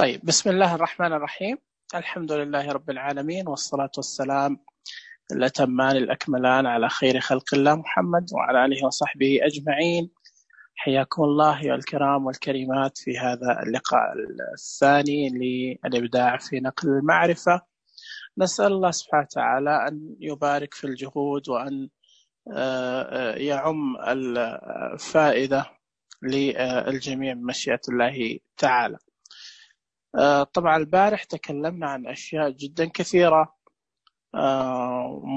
طيب، بسم الله الرحمن الرحيم. الحمد لله رب العالمين، والصلاة والسلام الأتمان الأكملان على خير خلق الله محمد وعلى آله وصحبه أجمعين. حياكم الله يا الكرام والكريمات في هذا اللقاء الثاني للإبداع في نقل المعرفة. نسأل الله سبحانه وتعالى أن يبارك في الجهود وأن يعم الفائدة للجميع بمشيئة الله تعالى. طبعا البارح تكلمنا عن أشياء جدا كثيرة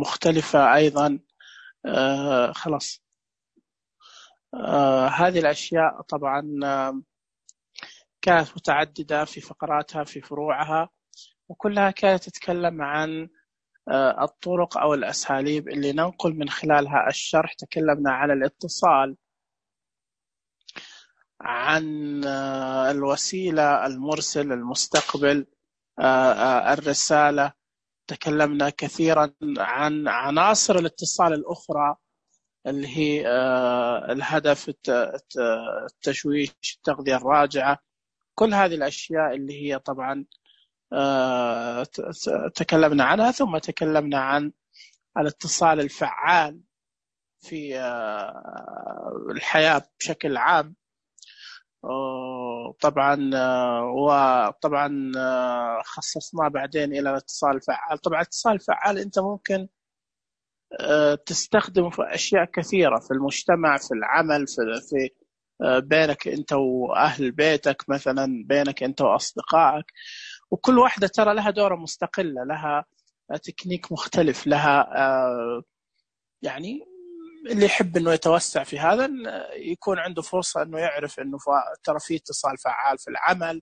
مختلفة أيضا. خلاص هذه الأشياء طبعا كانت متعددة في فقراتها في فروعها، وكلها كانت تتكلم عن الطرق أو الأساليب اللي ننقل من خلالها الشرح. تكلمنا عن الاتصال، عن الوسيلة، المرسل، المستقبل، الرسالة. تكلمنا كثيرا عن عناصر الاتصال الأخرى اللي هي الهدف، التشويش، التغذية الراجعة، كل هذه الأشياء اللي هي طبعا تكلمنا عنها. ثم تكلمنا عن الاتصال الفعال في الحياة بشكل عام. وطبعا خصصنا بعدين إلى الاتصال الفعال. طبعا الاتصال الفعال أنت ممكن تستخدمه في أشياء كثيرة في المجتمع، في العمل، في بينك أنت وأهل بيتك مثلا، بينك أنت وأصدقائك، وكل واحدة ترى لها دورة مستقلة، لها تكنيك مختلف، لها يعني اللي يحب أنه يتوسع في هذا يكون عنده فرصة أنه يعرف أنه ترى في اتصال فعال في العمل،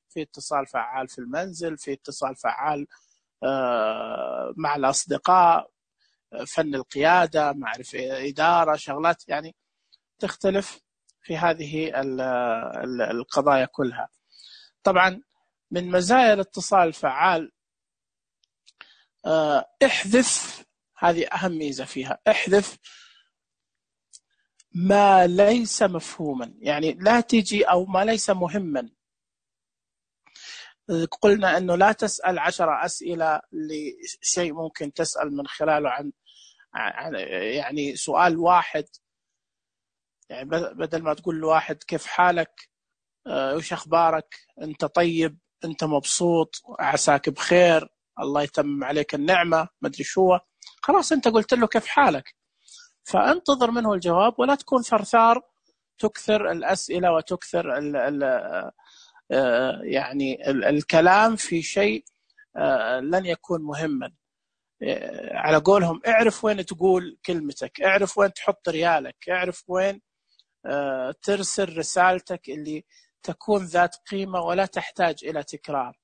في اتصال فعال في المنزل، في اتصال فعال مع الأصدقاء، فن القيادة، معرفة إدارة، شغلات يعني تختلف في هذه القضايا كلها. طبعا من مزايا الاتصال الفعال احذف، هذه أهم ميزة فيها، احذف ما ليس مفهوما، يعني لا تجي أو ما ليس مهما. قلنا أنه لا تسأل 10 أسئلة لشيء ممكن تسأل من خلاله عن يعني سؤال واحد. يعني بدل ما تقول لواحد كيف حالك، وش أخبارك، أنت طيب، أنت مبسوط، عساك بخير، الله يتمم عليك النعمة، ما أدري شو، خلاص أنت قلت له كيف حالك، فانتظر منه الجواب، ولا تكون ثرثار تكثر الأسئلة وتكثر يعني الكلام في شيء لن يكون مهما. على قولهم اعرف وين تقول كلمتك، اعرف وين تحط ريالك، اعرف وين ترسل رسالتك اللي تكون ذات قيمة ولا تحتاج إلى تكرار.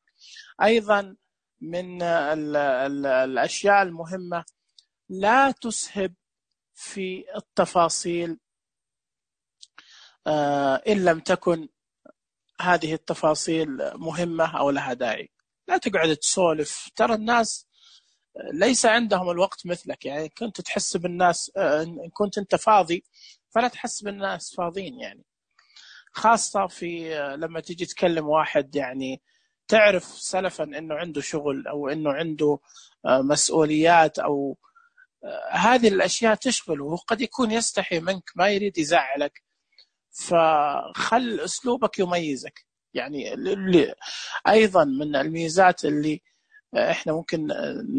أيضا من الأشياء المهمة، لا تسهب في التفاصيل إن لم تكن هذه التفاصيل مهمة أو لها داعي. لا تقعد تسولف، ترى الناس ليس عندهم الوقت مثلك. يعني كنت تحس بالناس، إن كنت أنت فاضي فلا تحس بالناس فاضيين، يعني خاصة في لما تيجي تكلم واحد يعني تعرف سلفا أنه عنده شغل أو أنه عنده مسؤوليات، أو هذه الأشياء تشغله، وقد يكون يستحي منك، ما يريد يزعلك، فخل أسلوبك يميزك. يعني أيضا من الميزات اللي إحنا ممكن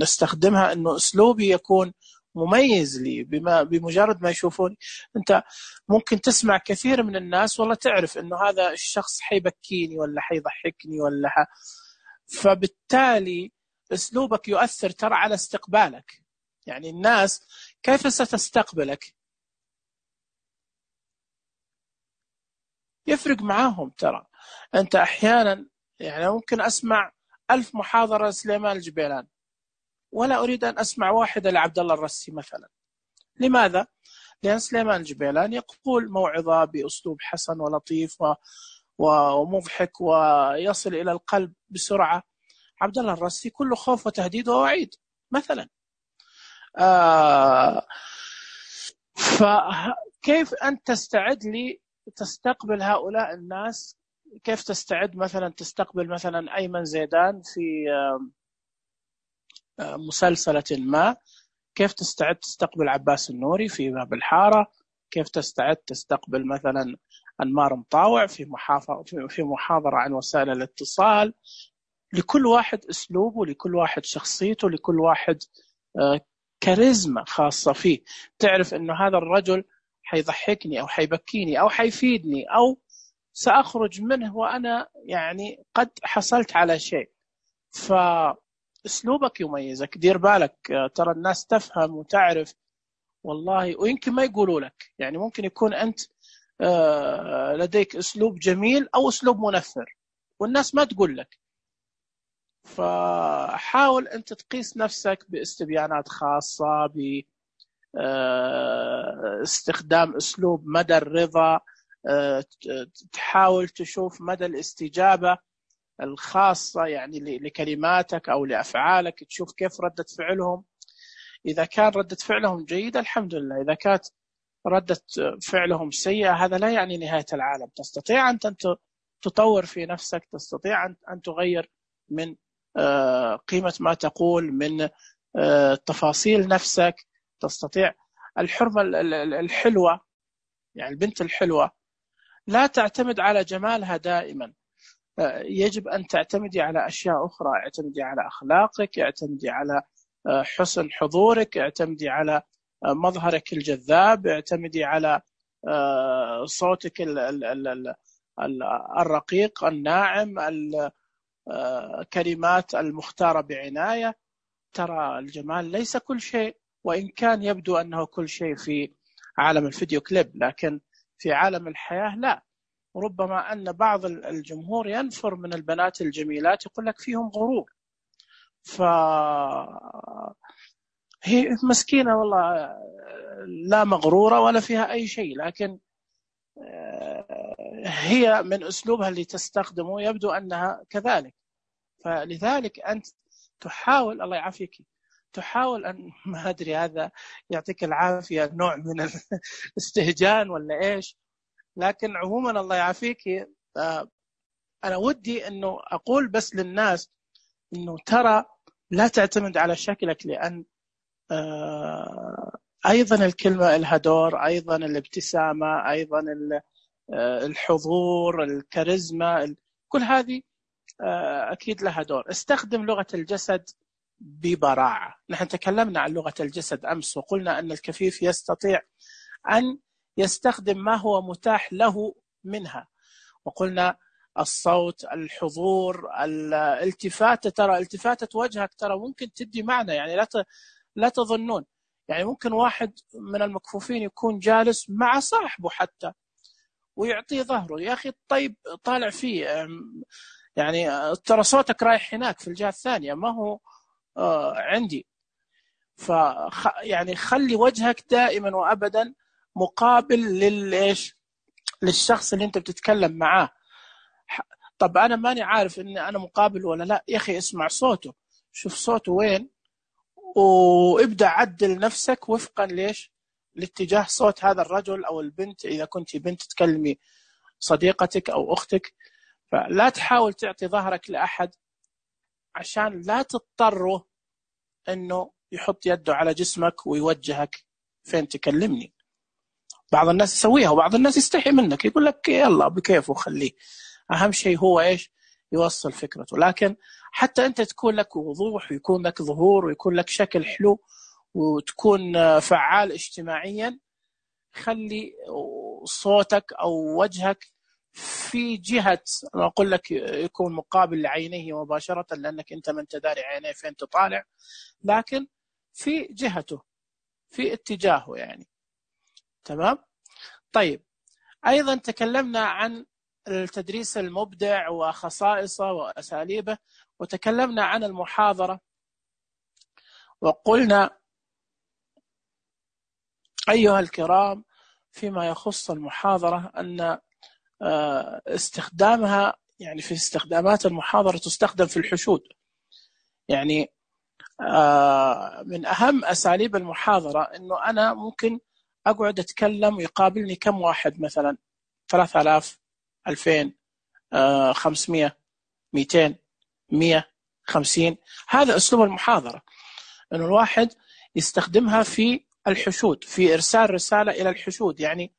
نستخدمها أنه أسلوبي يكون مميز لي، بمجرد ما يشوفوني. أنت ممكن تسمع كثير من الناس والله تعرف أنه هذا الشخص حيبكيني ولا حيضحكني فبالتالي أسلوبك يؤثر ترى على استقبالك. يعني الناس كيف ستستقبلك يفرق معاهم. ترى أنت أحيانا يعني ممكن أسمع 1000 محاضرة لسليمان الجبيلان ولا أريد أن أسمع واحدة لعبد الله الرسي مثلا. لماذا؟ لأن سليمان الجبيلان يقول موعظة بأسلوب حسن ولطيف ومضحك ويصل إلى القلب بسرعة. عبد الله الرسي كله خوف وتهديد ووعيد مثلا. فكيف أنت تستعد لي تستقبل هؤلاء الناس كيف تستعد مثلا تستقبل مثلا أيمن زيدان في مسلسلة ما، كيف تستعد تستقبل عباس النوري في باب الحارة، كيف تستعد تستقبل مثلا أنمار مطاوع في محاضرة عن وسائل الاتصال. لكل واحد أسلوبه، لكل واحد شخصيته، لكل واحد كاريزما خاصة فيه. تعرف أنه هذا الرجل حيضحكني أو حيبكيني أو حيفيدني أو سأخرج منه وأنا يعني قد حصلت على شيء. فأسلوبك يميزك. دير بالك ترى الناس تفهم وتعرف والله، ويمكن ما يقولوا لك. يعني ممكن يكون أنت لديك أسلوب جميل أو أسلوب منفر والناس ما تقول لك. فحاول أنت تقيس نفسك باستبيانات خاصة، باستخدام أسلوب مدى الرضا، تحاول تشوف مدى الاستجابة الخاصة يعني لكلماتك أو لأفعالك، تشوف كيف ردة فعلهم. إذا كان ردة فعلهم جيدة الحمد لله، إذا كانت ردة فعلهم سيئة هذا لا يعني نهاية العالم. تستطيع أن تطور في نفسك، تستطيع أن تغير من قيمة ما تقول، من تفاصيل نفسك، تستطيع. الحرمة الحلوة يعني البنت الحلوة لا تعتمد على جمالها دائما، يجب أن تعتمدي على أشياء أخرى. اعتمدي على أخلاقك، اعتمدي على حسن حضورك، اعتمدي على مظهرك الجذاب، اعتمدي على صوتك الرقيق الناعم، الكلمات المختارة بعناية. ترى الجمال ليس كل شيء، وإن كان يبدو أنه كل شيء في عالم الفيديو كليب، لكن في عالم الحياة لا. ربما أن بعض الجمهور ينفر من البنات الجميلات، يقول لك فيهم غرور. هي مسكينة والله، لا مغرورة ولا فيها أي شيء، لكن هي من أسلوبها اللي تستخدمه يبدو أنها كذلك. فلذلك أنت تحاول، الله يعافيك، تحاول أن ما أدري هذا يعطيك العافية نوع من الاستهجان ولا إيش، لكن عموما الله يعافيك. أنا ودي أنه أقول بس للناس أنه ترى لا تعتمد على شكلك، لأن أيضا الكلمة لها دور، أيضا الابتسامة، أيضا الحضور، الكاريزما، كل هذه أكيد لها دور. استخدم لغة الجسد ببراعة. نحن تكلمنا عن لغة الجسد أمس وقلنا أن الكفيف يستطيع أن يستخدم ما هو متاح له منها، وقلنا الصوت، الحضور، الالتفاتة. ترى التفاتة وجهك ترى ممكن تدي معنى، يعني لا تظنون. يعني ممكن واحد من المكفوفين يكون جالس مع صاحبه حتى ويعطيه ظهره، يا أخي طيب طالع فيه، يعني ترى صوتك رايح هناك في الجهة الثانية، ما هو عندي. يعني خلي وجهك دائما وأبدا مقابل للشخص اللي أنت بتتكلم معاه. طب أنا ماني عارف إن أنا مقابل ولا لا، يا أخي اسمع صوته، شوف صوته وين، وابدأ عدل نفسك وفقا لاتجاه صوت هذا الرجل أو البنت. إذا كنت بنت تكلمي صديقتك أو أختك، فلا تحاول تعطي ظهرك لأحد عشان لا تضطره أنه يحط يده على جسمك ويوجهك فين تكلمني. بعض الناس يسويها وبعض الناس يستحي منك، يقول لك يلا بكيفه خليه، أهم شيء هو يوصل فكرته. لكن حتى أنت تكون لك وضوح ويكون لك ظهور ويكون لك شكل حلو وتكون فعال اجتماعيا، خلي صوتك أو وجهك في جهة، أنا أقول لك يكون مقابل لعينيه مباشرة، لأنك أنت من تداري عينيه فين تطالع، لكن في جهته، في اتجاهه يعني. تمام؟ طيب، أيضا تكلمنا عن التدريس المبدع وخصائصه وأساليبه، وتكلمنا عن المحاضرة، وقلنا أيها الكرام فيما يخص المحاضرة أن استخدامها، يعني في استخدامات المحاضرة تستخدم في الحشود. يعني من أهم أساليب المحاضرة أنه أنا ممكن أقعد أتكلم ويقابلني كم واحد، مثلا 3000 2000 500 200 150. هذا أسلوب المحاضرة، أنه الواحد يستخدمها في الحشود، في إرسال رسالة إلى الحشود. يعني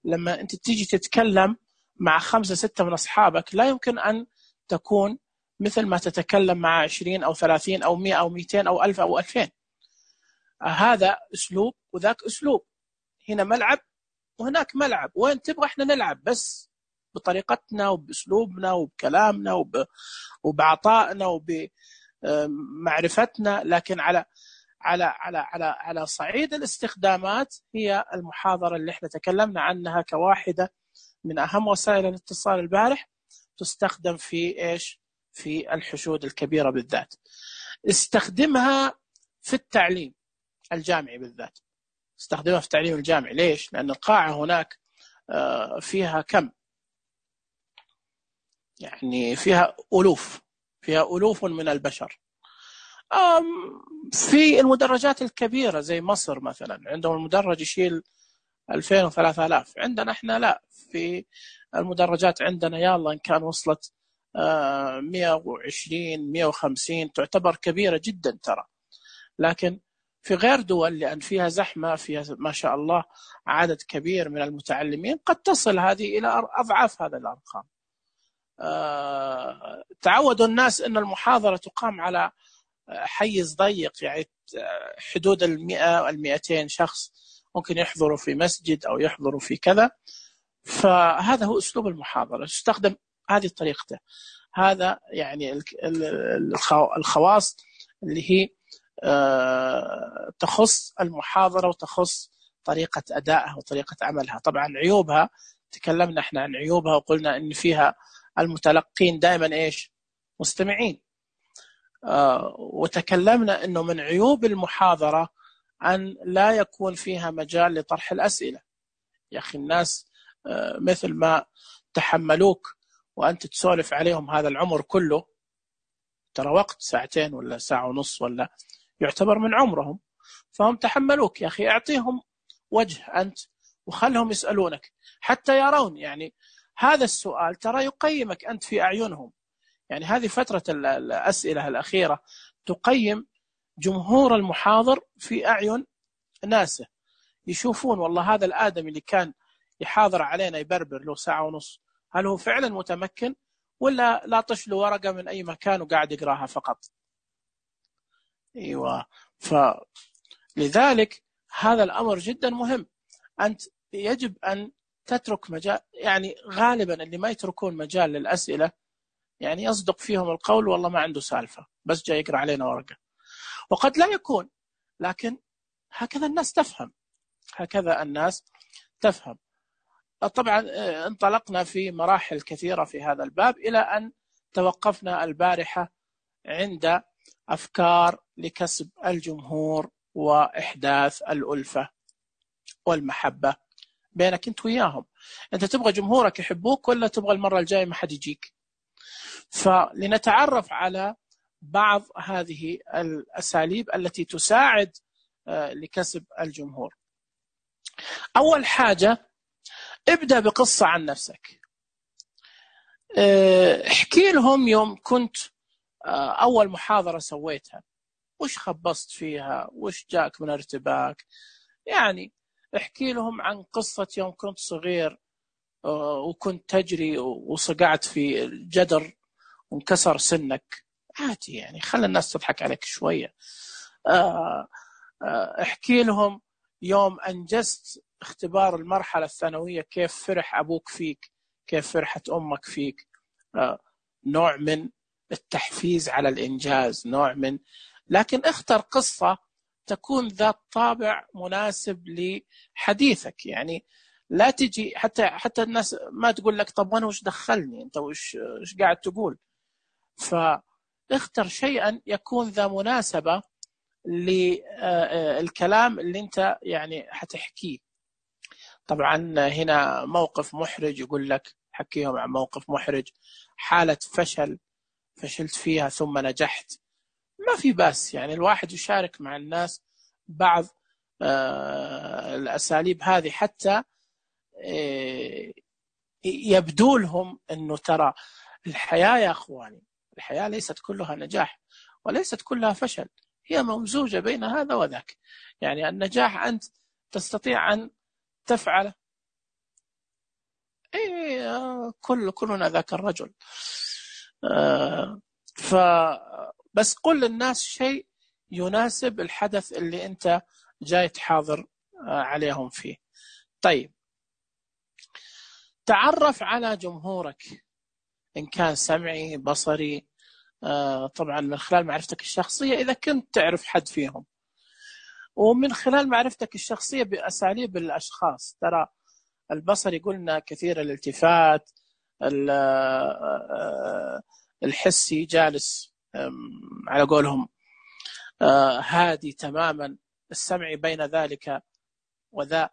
لما أنت تيجي تتكلم مع 5 6 من أصحابك، لا يمكن أن تكون مثل ما تتكلم مع 20 أو 30 أو 100 أو 200 أو 1000 أو 2000. هذا أسلوب وذاك أسلوب، هنا ملعب وهناك ملعب، وين تبغى احنا نلعب بس بطريقتنا وبأسلوبنا وبكلامنا وبعطائنا وبمعرفتنا. لكن على صعيد الاستخدامات، هي المحاضرة اللي احنا تكلمنا عنها كواحدة من أهم وسائل الاتصال البارح، تستخدم في إيش؟ في الحشود الكبيرة بالذات. استخدمها في التعليم الجامعي بالذات، استخدمها في التعليم الجامعي. ليش؟ لأن القاعة هناك فيها كم؟ يعني فيها ألوف من البشر. في المدرجات الكبيرة زي مصر مثلا، عندهم المدرج يشيل 2000 و3000. عندنا احنا لا، في المدرجات عندنا يلا إن كان وصلت 120 150 تعتبر كبيرة جدا ترى. لكن في غير دول، لأن فيها زحمة، فيها ما شاء الله عدد كبير من المتعلمين، قد تصل هذه إلى أضعاف هذا الأرقام. تعودوا الناس أن المحاضرة تقام على حيز ضيق، يعني حدود 100 200 شخص ممكن يحضروا في مسجد أو يحضروا في كذا. فهذا هو أسلوب المحاضرة، تستخدم هذه طريقته. هذا يعني الخواص اللي هي تخص المحاضرة وتخص طريقة أدائها وطريقة عملها. طبعا عيوبها تكلمنا احنا عن عيوبها، وقلنا إن فيها المتلقين دائما إيش؟ مستمعين. وتكلمنا إنه من عيوب المحاضرة أن لا يكون فيها مجال لطرح الأسئلة. يا أخي الناس مثل ما تحملوك وأنت تسولف عليهم هذا العمر كله، ترى وقت 2 ولا 1.5 ولا يعتبر من عمرهم، فهم تحملوك. يا أخي أعطيهم وجه أنت وخلهم يسألونك حتى يرون، يعني هذا السؤال ترى يقيمك أنت في أعينهم. يعني هذه فترة الأسئلة الأخيرة تقيم جمهور المحاضر في أعين ناسه، يشوفون والله هذا الآدمي اللي كان يحاضر علينا يبربر له 1.5 ساعة، هل هو فعلا متمكن ولا لا طش له ورقة من أي مكان وقاعد يقراها فقط. أيوة. فلذلك هذا الأمر جدا مهم. أنت يجب أن تترك مجال، يعني غالبا اللي ما يتركون مجال للأسئلة يعني يصدق فيهم القول والله ما عنده سالفة، بس جاي يقرأ علينا ورقة. وقد لا يكون، لكن هكذا الناس تفهم، هكذا الناس تفهم. طبعا انطلقنا في مراحل كثيرة في هذا الباب إلى أن توقفنا البارحة عند أفكار لكسب الجمهور وإحداث الألفة والمحبة بينك أنت وياهم. أنت تبغى جمهورك يحبوك ولا تبغى المرة الجاية ما حد يجيك؟ فلنتعرف على بعض هذه الأساليب التي تساعد لكسب الجمهور. أول حاجة، ابدأ بقصة عن نفسك. احكي لهم يوم كنت أول محاضرة سويتها وش خبصت فيها، وش جاك من ارتباك. يعني احكي لهم عن قصة يوم كنت صغير وكنت تجري وصقعت في الجدر وانكسر سنك، عادي يعني، خلي الناس تضحك عليك شوية. احكي لهم يوم أنجزت اختبار المرحلة الثانوية كيف فرح أبوك فيك، كيف فرحت أمك فيك. نوع من التحفيز على الإنجاز، نوع من، لكن اختر قصة تكون ذات طابع مناسب لحديثك. يعني لا تجي حتى الناس ما تقول لك طب وانا وش دخلني انت، وش قاعد تقول. فاختر شيئا يكون ذا مناسبة للكلام اللي انت يعني حتحكيه. طبعا هنا موقف محرج، يقول لك حكيهم عن موقف محرج، حالة فشلت فيها ثم نجحت، ما في بس. يعني الواحد يشارك مع الناس بعض الأساليب هذه حتى يبدو لهم أنه ترى الحياة يا أخواني، الحياة ليست كلها نجاح وليست كلها فشل، هي ممزوجة بين هذا وذاك. يعني النجاح أنت تستطيع أن تفعله، كلنا ذاك الرجل. بس قل للناس شيء يناسب الحدث اللي أنت جاي تحاضر عليهم فيه. طيب، تعرف على جمهورك إن كان سمعي بصري، طبعا من خلال معرفتك الشخصية إذا كنت تعرف حد فيهم، ومن خلال معرفتك الشخصية بأساليب الأشخاص. ترى البصري قلنا كثير الالتفات، الحسي جالس على قولهم هادي تماما، السمعي بين ذلك وذا.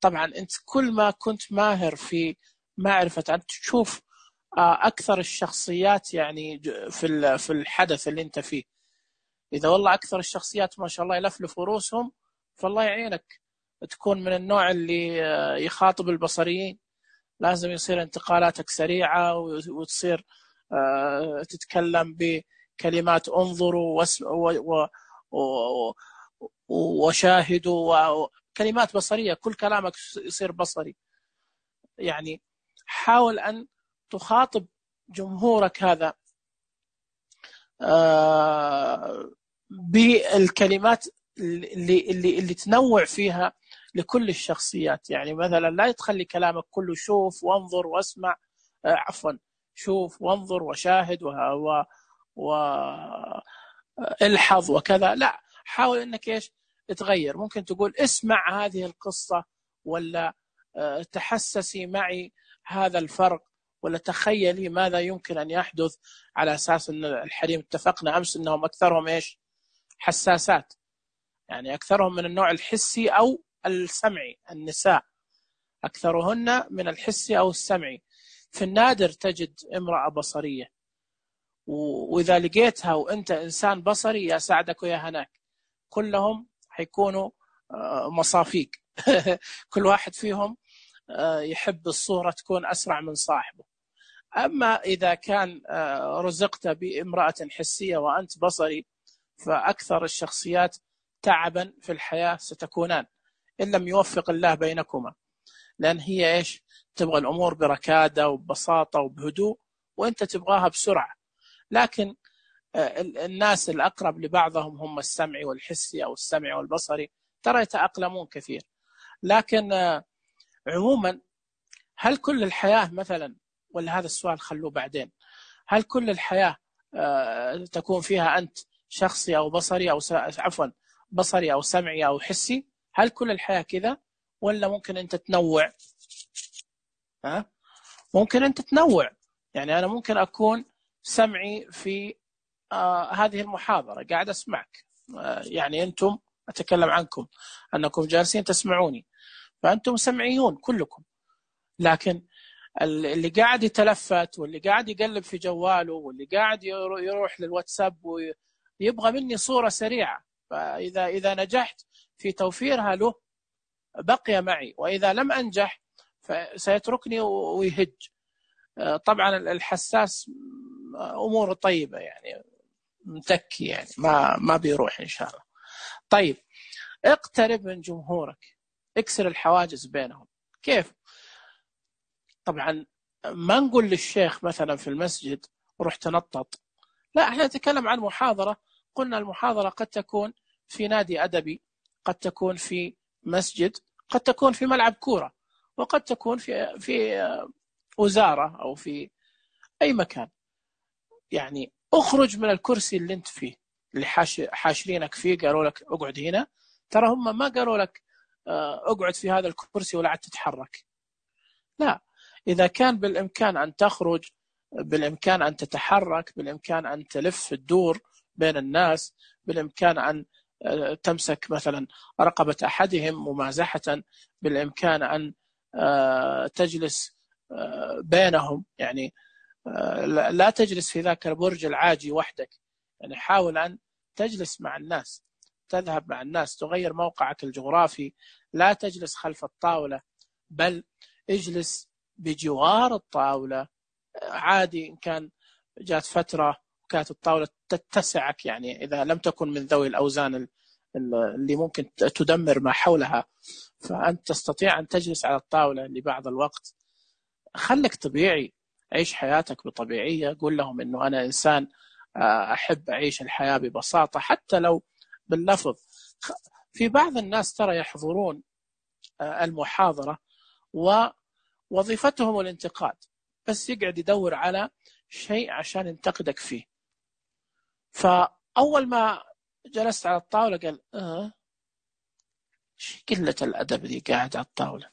طبعا أنت كل ما كنت ماهر في معرفة أن تشوف أكثر الشخصيات يعني في الحدث اللي أنت فيه، إذا والله أكثر الشخصيات ما شاء الله يلفلف رؤوسهم، فالله يعينك تكون من النوع اللي يخاطب البصريين. لازم يصير انتقالاتك سريعة، وتصير تتكلم بكلمات انظروا وشاهدوا وكلمات بصرية، كل كلامك يصير بصري. يعني حاول أن تخاطب جمهورك هذا بالكلمات اللي تنوع فيها لكل الشخصيات. يعني مثلا لا تخلي كلامك كله شوف وانظر واسمع، عفوا شوف وانظر وشاهد والحظ وكذا. لا، حاول انك ايش تغير. ممكن تقول اسمع هذه القصة، ولا تحسسي معي هذا الفرق، ولا تخيلي ماذا يمكن أن يحدث، على أساس أن الحريم اتفقنا أمس أنهم أكثرهم إيش حساسات، يعني أكثرهم من النوع الحسي أو السمعي. النساء أكثرهن من الحسي أو السمعي. في النادر تجد امرأة بصرية، وإذا لقيتها وأنت إنسان بصري يا سعدك ويا هناك، كلهم حيكونوا مصافيك. كل واحد فيهم يحب الصورة تكون أسرع من صاحبه. أما إذا كان رزقت بامرأة حسية وأنت بصري، فأكثر الشخصيات تعبا في الحياة ستكونان إن لم يوفق الله بينكما، لأن هي إيش تبغى الأمور بركادة وببساطة وبهدوء، وأنت تبغاها بسرعة. لكن الناس الأقرب لبعضهم هم السمعي والحسي أو السمعي والبصري، ترى يتأقلمون كثير. لكن عموما، هل كل الحياة مثلا، ولا هذا السؤال خلوه بعدين، هل كل الحياة تكون فيها أنت شخصي أو بصري أو عفوا بصري أو سمعي أو حسي؟ هل كل الحياة كذا، ولا ممكن أنت تنوع؟ ممكن أنت تنوع. يعني أنا ممكن أكون سمعي في هذه المحاضرة، قاعد أسمعك، يعني أنتم أتكلم عنكم أنكم جالسين تسمعوني، فأنتم سمعيون كلكم. لكن اللي قاعد يتلفت، واللي قاعد يقلب في جواله، واللي قاعد يروح للواتساب ويبغى مني صورة سريعة، فإذا نجحت في توفيرها له بقي معي، وإذا لم أنجح فسيتركني ويهج. طبعا الحساس أموره طيبة، يعني متكي، يعني ما بيروح إن شاء الله. طيب، اقترب من جمهورك، اكسر الحواجز بينهم. كيف؟ طبعا ما نقول للشيخ مثلا في المسجد روح تنطط، لا، احنا نتكلم عن محاضرة. قلنا المحاضرة قد تكون في نادي أدبي، قد تكون في مسجد، قد تكون في ملعب كورة، وقد تكون في وزارة أو في أي مكان. يعني اخرج من الكرسي اللي انت فيه، اللي حاشرينك فيه، قالوا لك اقعد هنا، ترى هم ما قالوا لك اقعد في هذا الكرسي ولا عاد تتحرك. لا، إذا كان بالإمكان أن تخرج، بالإمكان أن تتحرك، بالإمكان أن تلف الدور بين الناس، بالإمكان أن تمسك مثلا رقبة أحدهم ممازحة، بالإمكان أن تجلس بينهم. يعني لا تجلس في ذاك البرج العاجي وحدك، يعني حاول أن تجلس مع الناس، تذهب مع الناس، تغير موقعك الجغرافي. لا تجلس خلف الطاولة، بل اجلس بجوار الطاولة عادي. إن كان جات فترة كانت الطاولة تتسعك، يعني إذا لم تكن من ذوي الأوزان اللي ممكن تدمر ما حولها، فأنت تستطيع أن تجلس على الطاولة لبعض الوقت. خلك طبيعي، عيش حياتك بطبيعية. قول لهم إنه أنا إنسان أحب أعيش الحياة ببساطة حتى لو باللفظ. في بعض الناس ترى يحضرون المحاضرة ووظيفتهم الانتقاد، بس يقعد يدور على شيء عشان ينتقدك فيه. فأول ما جلست على الطاولة قال ايش قلة الأدب دي قاعد على الطاولة،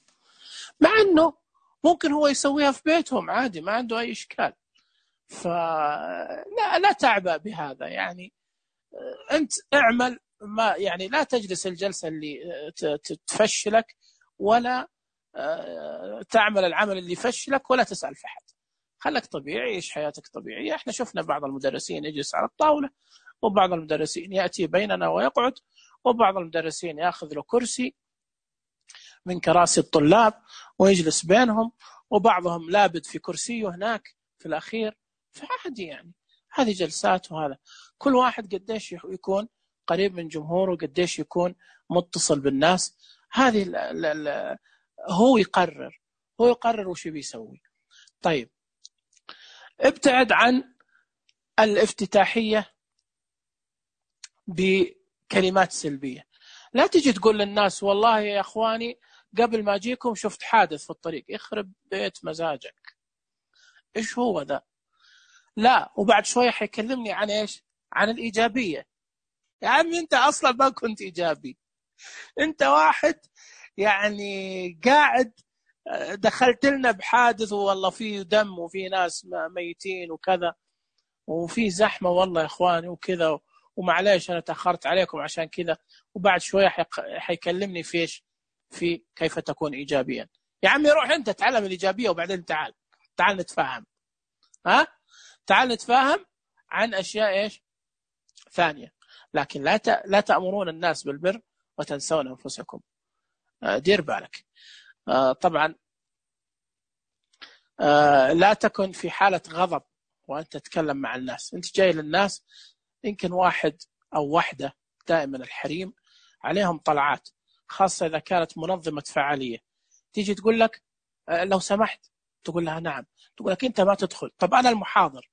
مع أنه ممكن هو يسويها في بيتهم عادي، ما عنده أي إشكال. فلا تعبأ بهذا، يعني أنت اعمل، ما يعني لا تجلس الجلسة اللي تفشلك، ولا تعمل العمل اللي يفشلك، ولا تسأل في حد. خلك طبيعي، عيش حياتك طبيعية. احنا شفنا بعض المدرسين يجلس على الطاولة، وبعض المدرسين يأتي بيننا ويقعد، وبعض المدرسين يأخذ له كرسي من كراسي الطلاب ويجلس بينهم، وبعضهم لابد في كرسيه هناك في الأخير. فعادي يعني، هذه جلسات. وهذا كل واحد قديش يكون قريب من جمهوره، قديش يكون متصل بالناس. هذه هو يقرر وش بيسوي. طيب، ابتعد عن الافتتاحية بكلمات سلبية. لا تجي تقول للناس والله يا أخواني قبل ما أجيكم شفت حادث في الطريق. يخرب بيت مزاجك، إيش هو ذا؟ لا، وبعد شوية حيكلمني عن إيش؟ عن الإيجابية. يا عمي أنت أصلا ما كنت إيجابي، أنت واحد يعني قاعد دخلت لنا بحادث، والله فيه دم وفيه ناس ميتين وكذا، وفي زحمة والله يا إخواني وكذا، ومعليش أنا تأخرت عليكم عشان كذا. وبعد شوية حيكلمني في إيش؟ في كيف تكون إيجابيا. يا عمي روح أنت تعلم الإيجابية، وبعدين تعال نتفاهم. تعال نتفاهم عن أشياء إيش ثانية. لكن لا تأمرون الناس بالبر وتنسون أنفسكم. دير بالك. طبعا لا تكن في حالة غضب وأنت تتكلم مع الناس. أنت جاي للناس، يمكن واحد أو واحدة، دائما الحريم عليهم طلعات، خاصة إذا كانت منظمة فعالية، تيجي تقول لك لو سمحت، تقول لها نعم، تقول لك أنت ما تدخل. طب أنا المحاضر.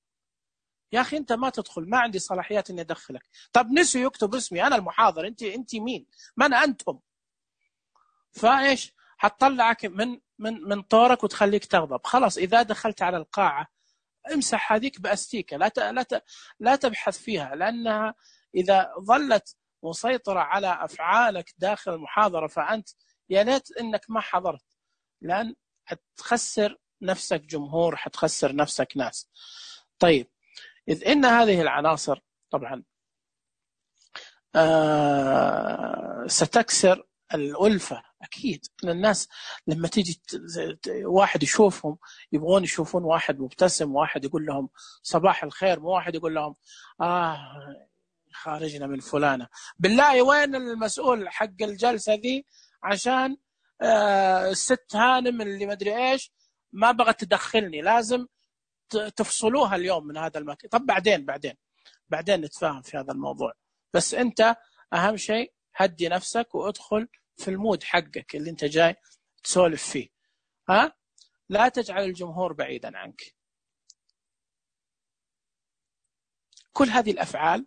يا أخي أنت ما تدخل، ما عندي صلاحيات إني أدخلك. طب نسوا يكتب اسمي، أنا المحاضر، أنت مين؟ من أنتم؟ فإيش حتطلعك من طورك وتخليك تغضب. خلاص، إذا دخلت على القاعة امسح هذيك بأستيكة، لا تبحث فيها، لأنها إذا ظلت مسيطرة على أفعالك داخل المحاضرة فأنت يا ليت إنك ما حضرت، لأن حتخسر نفسك جمهور، حتخسر نفسك ناس. طيب، إذ إن هذه العناصر طبعا ستكسر الألفة. أكيد إن الناس لما تيجي واحد يشوفهم يبغون يشوفون واحد مبتسم، واحد يقول لهم صباح الخير، مو واحد يقول لهم خارجنا من فلانة. بالله وين المسؤول حق الجلسة ذي عشان الست هانم اللي مدري إيش ما بغت تدخلني، لازم تفصلوها اليوم من هذا المكان. طب بعدين نتفاهم في هذا الموضوع. بس أنت أهم شيء هدي نفسك وادخل في المود حقك اللي أنت جاي تسولف فيه. لا تجعل الجمهور بعيدا عنك. كل هذه الأفعال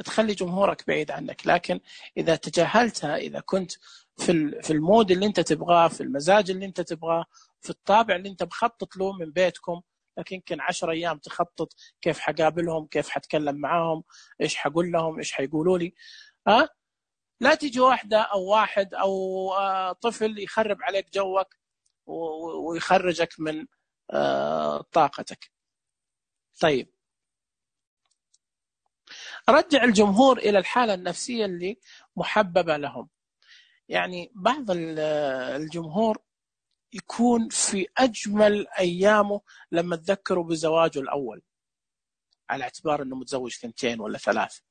تخلي جمهورك بعيد عنك، لكن إذا تجاهلتها، إذا كنت في المود اللي أنت تبغاه، في المزاج اللي أنت تبغاه، في الطابع اللي أنت مخطط له من بيتكم، لكن يمكن 10 أيام تخطط كيف حقابلهم، كيف حتكلم معاهم، إيش حقول لهم، إيش حيقولوا لي. لا تيجي واحدة أو واحد أو طفل يخرب عليك جوك ويخرجك من طاقتك. طيب، رجع الجمهور إلى الحالة النفسية اللي محببة لهم. يعني بعض الجمهور يكون في أجمل أيامه لما تذكروا بزواجه الأول، على اعتبار أنه متزوج 2 ولا 3،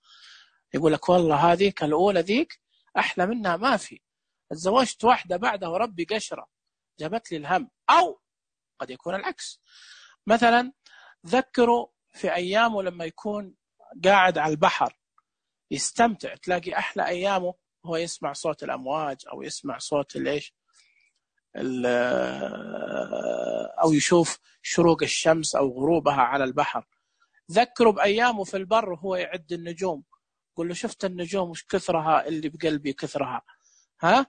يقول لك والله هذه الأولى ذيك أحلى منها ما في، تزوجت واحدة بعدها وربي قشرة جابت لي الهم. أو قد يكون العكس. مثلا ذكروا في أيامه لما يكون قاعد على البحر يستمتع، تلاقي أحلى أيامه هو يسمع صوت الأمواج أو يسمع صوت الإيش أو يشوف شروق الشمس أو غروبها على البحر. ذكروا بأيامه في البر هو يعد النجوم، قل له شفت النجوم وش كثرها اللي بقلبي كثرها، ها؟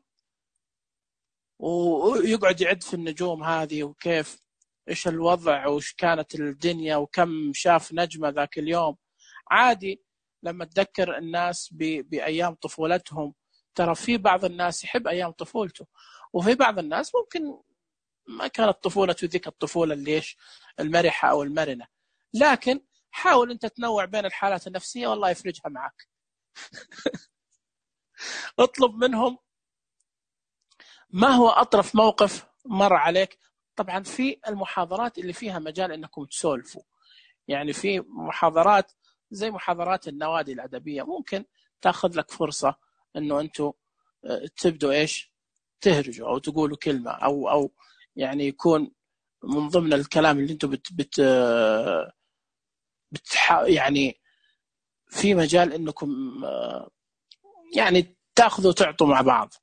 ويقعد يعد في النجوم هذه وكيف إيش الوضع وش كانت الدنيا وكم شاف نجمة ذاك اليوم. عادي لما تذكر الناس بأيام طفولتهم، ترى في بعض الناس يحب أيام طفولته، وفي بعض الناس ممكن ما كانت طفولته ذيك الطفولة اللي إيش المرحة أو المرنة، لكن حاول أنت تنوع بين الحالات النفسية والله يفرجها معك. اطلب منهم ما هو أطرف موقف مر عليك. طبعا في المحاضرات اللي فيها مجال أنكم تسولفوا، يعني في محاضرات زي محاضرات النوادي الأدبية ممكن تأخذ لك فرصة أنه أنتوا تبدوا إيش تهرجوا أو تقولوا كلمة أو يعني يكون من ضمن الكلام اللي أنتوا يعني في مجال أنكم يعني تأخذوا وتعطوا مع بعض.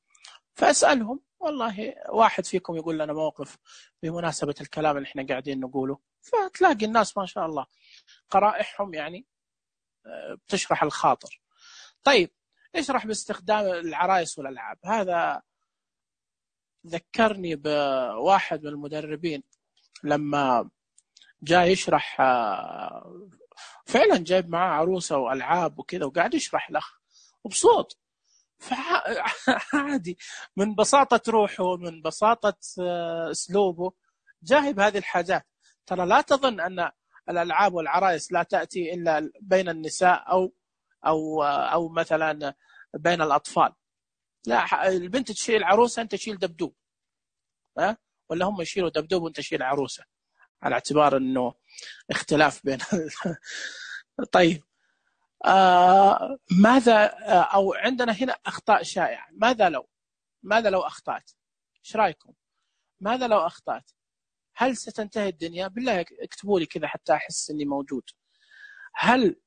فأسألهم والله واحد فيكم يقول لنا موقف بمناسبة الكلام اللي احنا قاعدين نقوله، فتلاقي الناس ما شاء الله قرائحهم يعني بتشرح الخاطر. طيب اشرح باستخدام العرايس والألعاب. هذا ذكرني بواحد من المدربين لما جاء يشرح، فعلا جايب معاه عروسة وألعاب وكذا وقاعد يشرح له وبصوت، فعادي من بساطة روحه من بساطة أسلوبه جاهب هذه الحاجات. ترى لا تظن أن الألعاب والعرايس لا تأتي إلا بين النساء أو مثلا بين الأطفال، لا، البنت تشيل عروسة أنت تشيل دبدوب، ولا هم يشيلوا دبدوب وأنت تشيل عروسة، على اعتبار أنه اختلاف بين طيب ماذا أو عندنا هنا أخطاء شائعة. ماذا لو أخطأت؟ إيش رأيكم؟ ماذا لو أخطأت؟ هل ستنتهي الدنيا؟ بالله اكتبوا لي كذا حتى أحس أني موجود. هل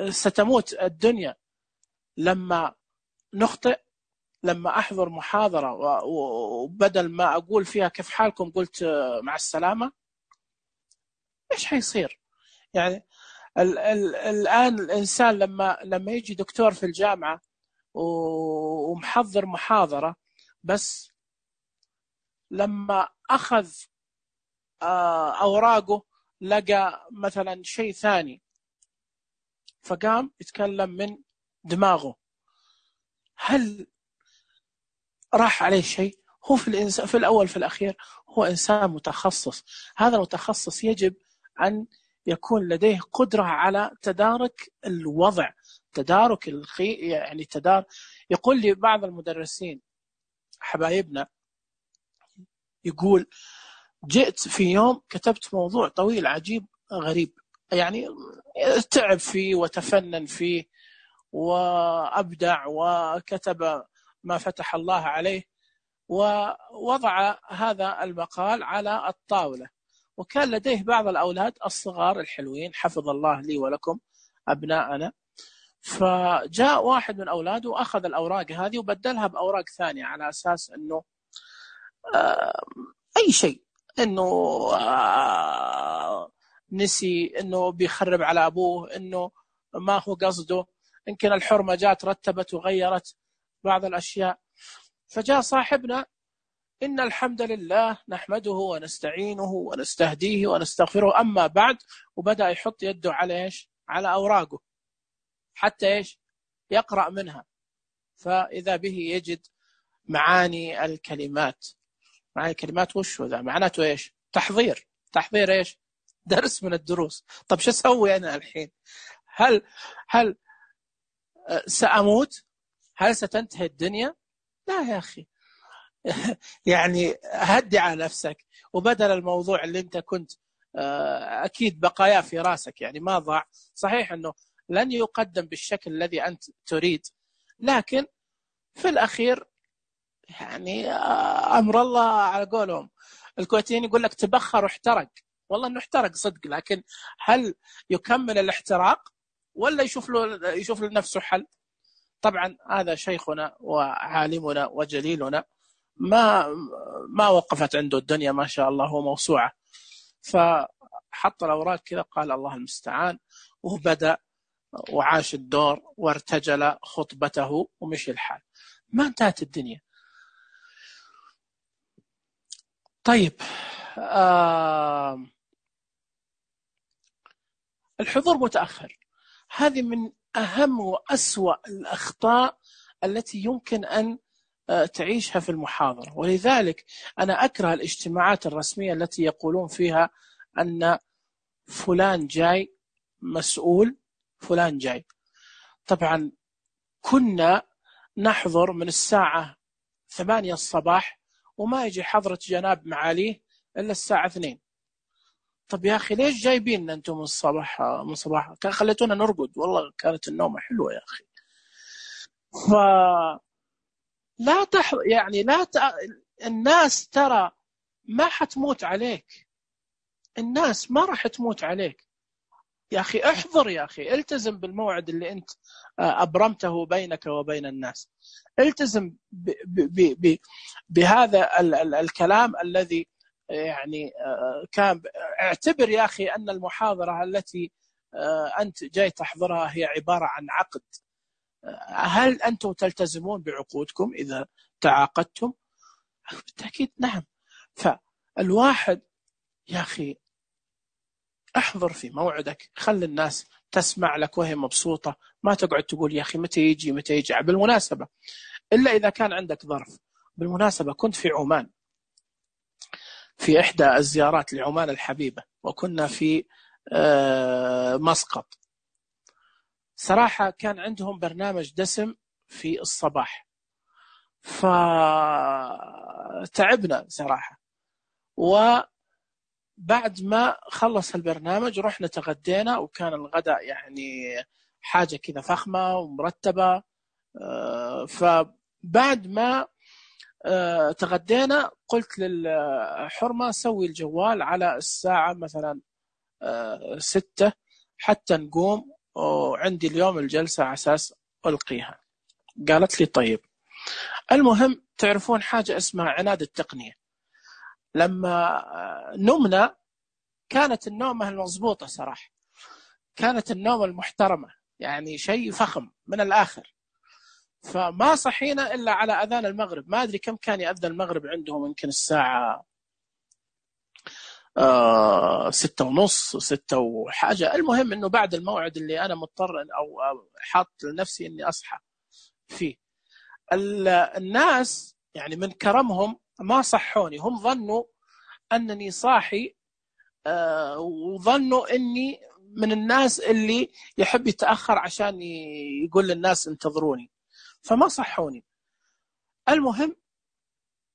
ستموت الدنيا لما نخطئ؟ لما أحضر محاضرة وبدل ما أقول فيها كيف حالكم قلت مع السلامة، إيش حيصير؟ يعني الآن الإنسان لما يجي دكتور في الجامعة ومحضر محاضرة، بس لما أخذ أوراقه لقى مثلا شيء ثاني فقام يتكلم من دماغه، هل راح عليه شيء؟ هو في الأول في الأخير هو إنسان متخصص. هذا المتخصص يجب أن يكون لديه قدرة على تدارك الوضع، تدارك يعني يقول لي بعض المدرسين حبايبنا، يقول جئت في يوم كتبت موضوع طويل عجيب غريب، يعني تعب فيه وتفنن فيه وأبدع وكتب ما فتح الله عليه، ووضع هذا المقال على الطاولة، وكان لديه بعض الأولاد الصغار الحلوين حفظ الله لي ولكم أبناءنا، فجاء واحد من أولاده وأخذ الأوراق هذه وبدلها بأوراق ثانية على أساس أنه أي شيء، أنه نسي، أنه بيخرب على أبوه، أنه ما هو قصده، يمكن الحرمة جات رتبت وغيرت بعض الأشياء. فجاء صاحبنا إن الحمد لله نحمده ونستعينه ونستهديه ونستغفره أما بعد، وبدأ يحط يده على إيش؟ على أوراقه حتى إيش؟ يقرأ منها، فإذا به يجد معاني الكلمات. معاني الكلمات وش هو ذا؟ معناته إيش؟ تحضير إيش؟ درس من الدروس. طب شو أسوي أنا الحين؟ هل سأموت؟ هل ستنتهي الدنيا؟ لا يا أخي يعني هدي على نفسك، وبدل الموضوع اللي انت كنت اكيد بقايا في راسك، يعني ما ضاع، صحيح انه لن يقدم بالشكل الذي انت تريد، لكن في الاخير يعني امر الله على قولهم الكويتيين يقول لك تبخر واحترق. والله انه احترق صدق، لكن هل يكمل الاحتراق ولا يشوف لنفسه حل؟ طبعا هذا شيخنا وعالمنا وجليلنا ما وقفت عنده الدنيا ما شاء الله، هو موسوعة، فحط الأوراق كذا قال الله المستعان، وبدأ وعاش الدور وارتجل خطبته ومشي الحال، ما انتهت الدنيا. طيب الحضور متأخر، هذه من أهم وأسوأ الأخطاء التي يمكن أن تعيشها في المحاضرة. ولذلك أنا أكره الاجتماعات الرسمية التي يقولون فيها أن فلان جاي مسؤول، فلان جاي. طبعا كنا نحضر من الساعة 8 الصباح وما يجي حضرة جناب معاليه إلا الساعة 2. طب يا أخي ليش جايبين أنتم من صباح كان خليتونا نرقد، والله كانت النومة حلوة يا أخي. لا يعني الناس ترى ما حتموت عليك، الناس ما راح تموت عليك يا أخي. احضر يا أخي، التزم بالموعد اللي أنت أبرمته بينك وبين الناس، التزم بهذا الكلام الذي يعني كان. اعتبر يا أخي أن المحاضرة التي أنت جاي تحضرها هي عبارة عن عقد. هل أنتم تلتزمون بعقودكم إذا تعاقدتم؟ بالتأكيد نعم. فالواحد يا أخي احضر في موعدك، خلي الناس تسمع لك وهي مبسوطة، ما تقعد تقول يا أخي متى يجي متى يجي. بالمناسبة إلا إذا كان عندك ظرف. بالمناسبة كنت في عمان في إحدى الزيارات لعمان الحبيبة، وكنا في مسقط. صراحة كان عندهم برنامج دسم في الصباح، فتعبنا صراحة. وبعد ما خلص البرنامج رحنا تغدينا، وكان الغداء يعني حاجة كذا فخمة ومرتبة. فبعد ما تغدينا قلت للحرمة سوي الجوال على الساعة مثلا 6 حتى نقوم، وعندي اليوم الجلسة على أساس ألقيها. قالت لي طيب. المهم تعرفون حاجة اسمها عناد التقنية. لما نمنا كانت النومة المضبوطة صراحة، كانت النومة المحترمة، يعني شيء فخم من الآخر. فما صحينا إلا على أذان المغرب. ما أدري كم كان يأذن المغرب عندهم، يمكن الساعة 6:30 6 وحاجة. المهم أنه بعد الموعد اللي أنا مضطر أو حاط لنفسي أني أصحى فيه. الناس يعني من كرمهم ما صحوني، هم ظنوا أنني صاحي وظنوا أني من الناس اللي يحب يتأخر عشان يقول للناس انتظروني، فما صحوني. المهم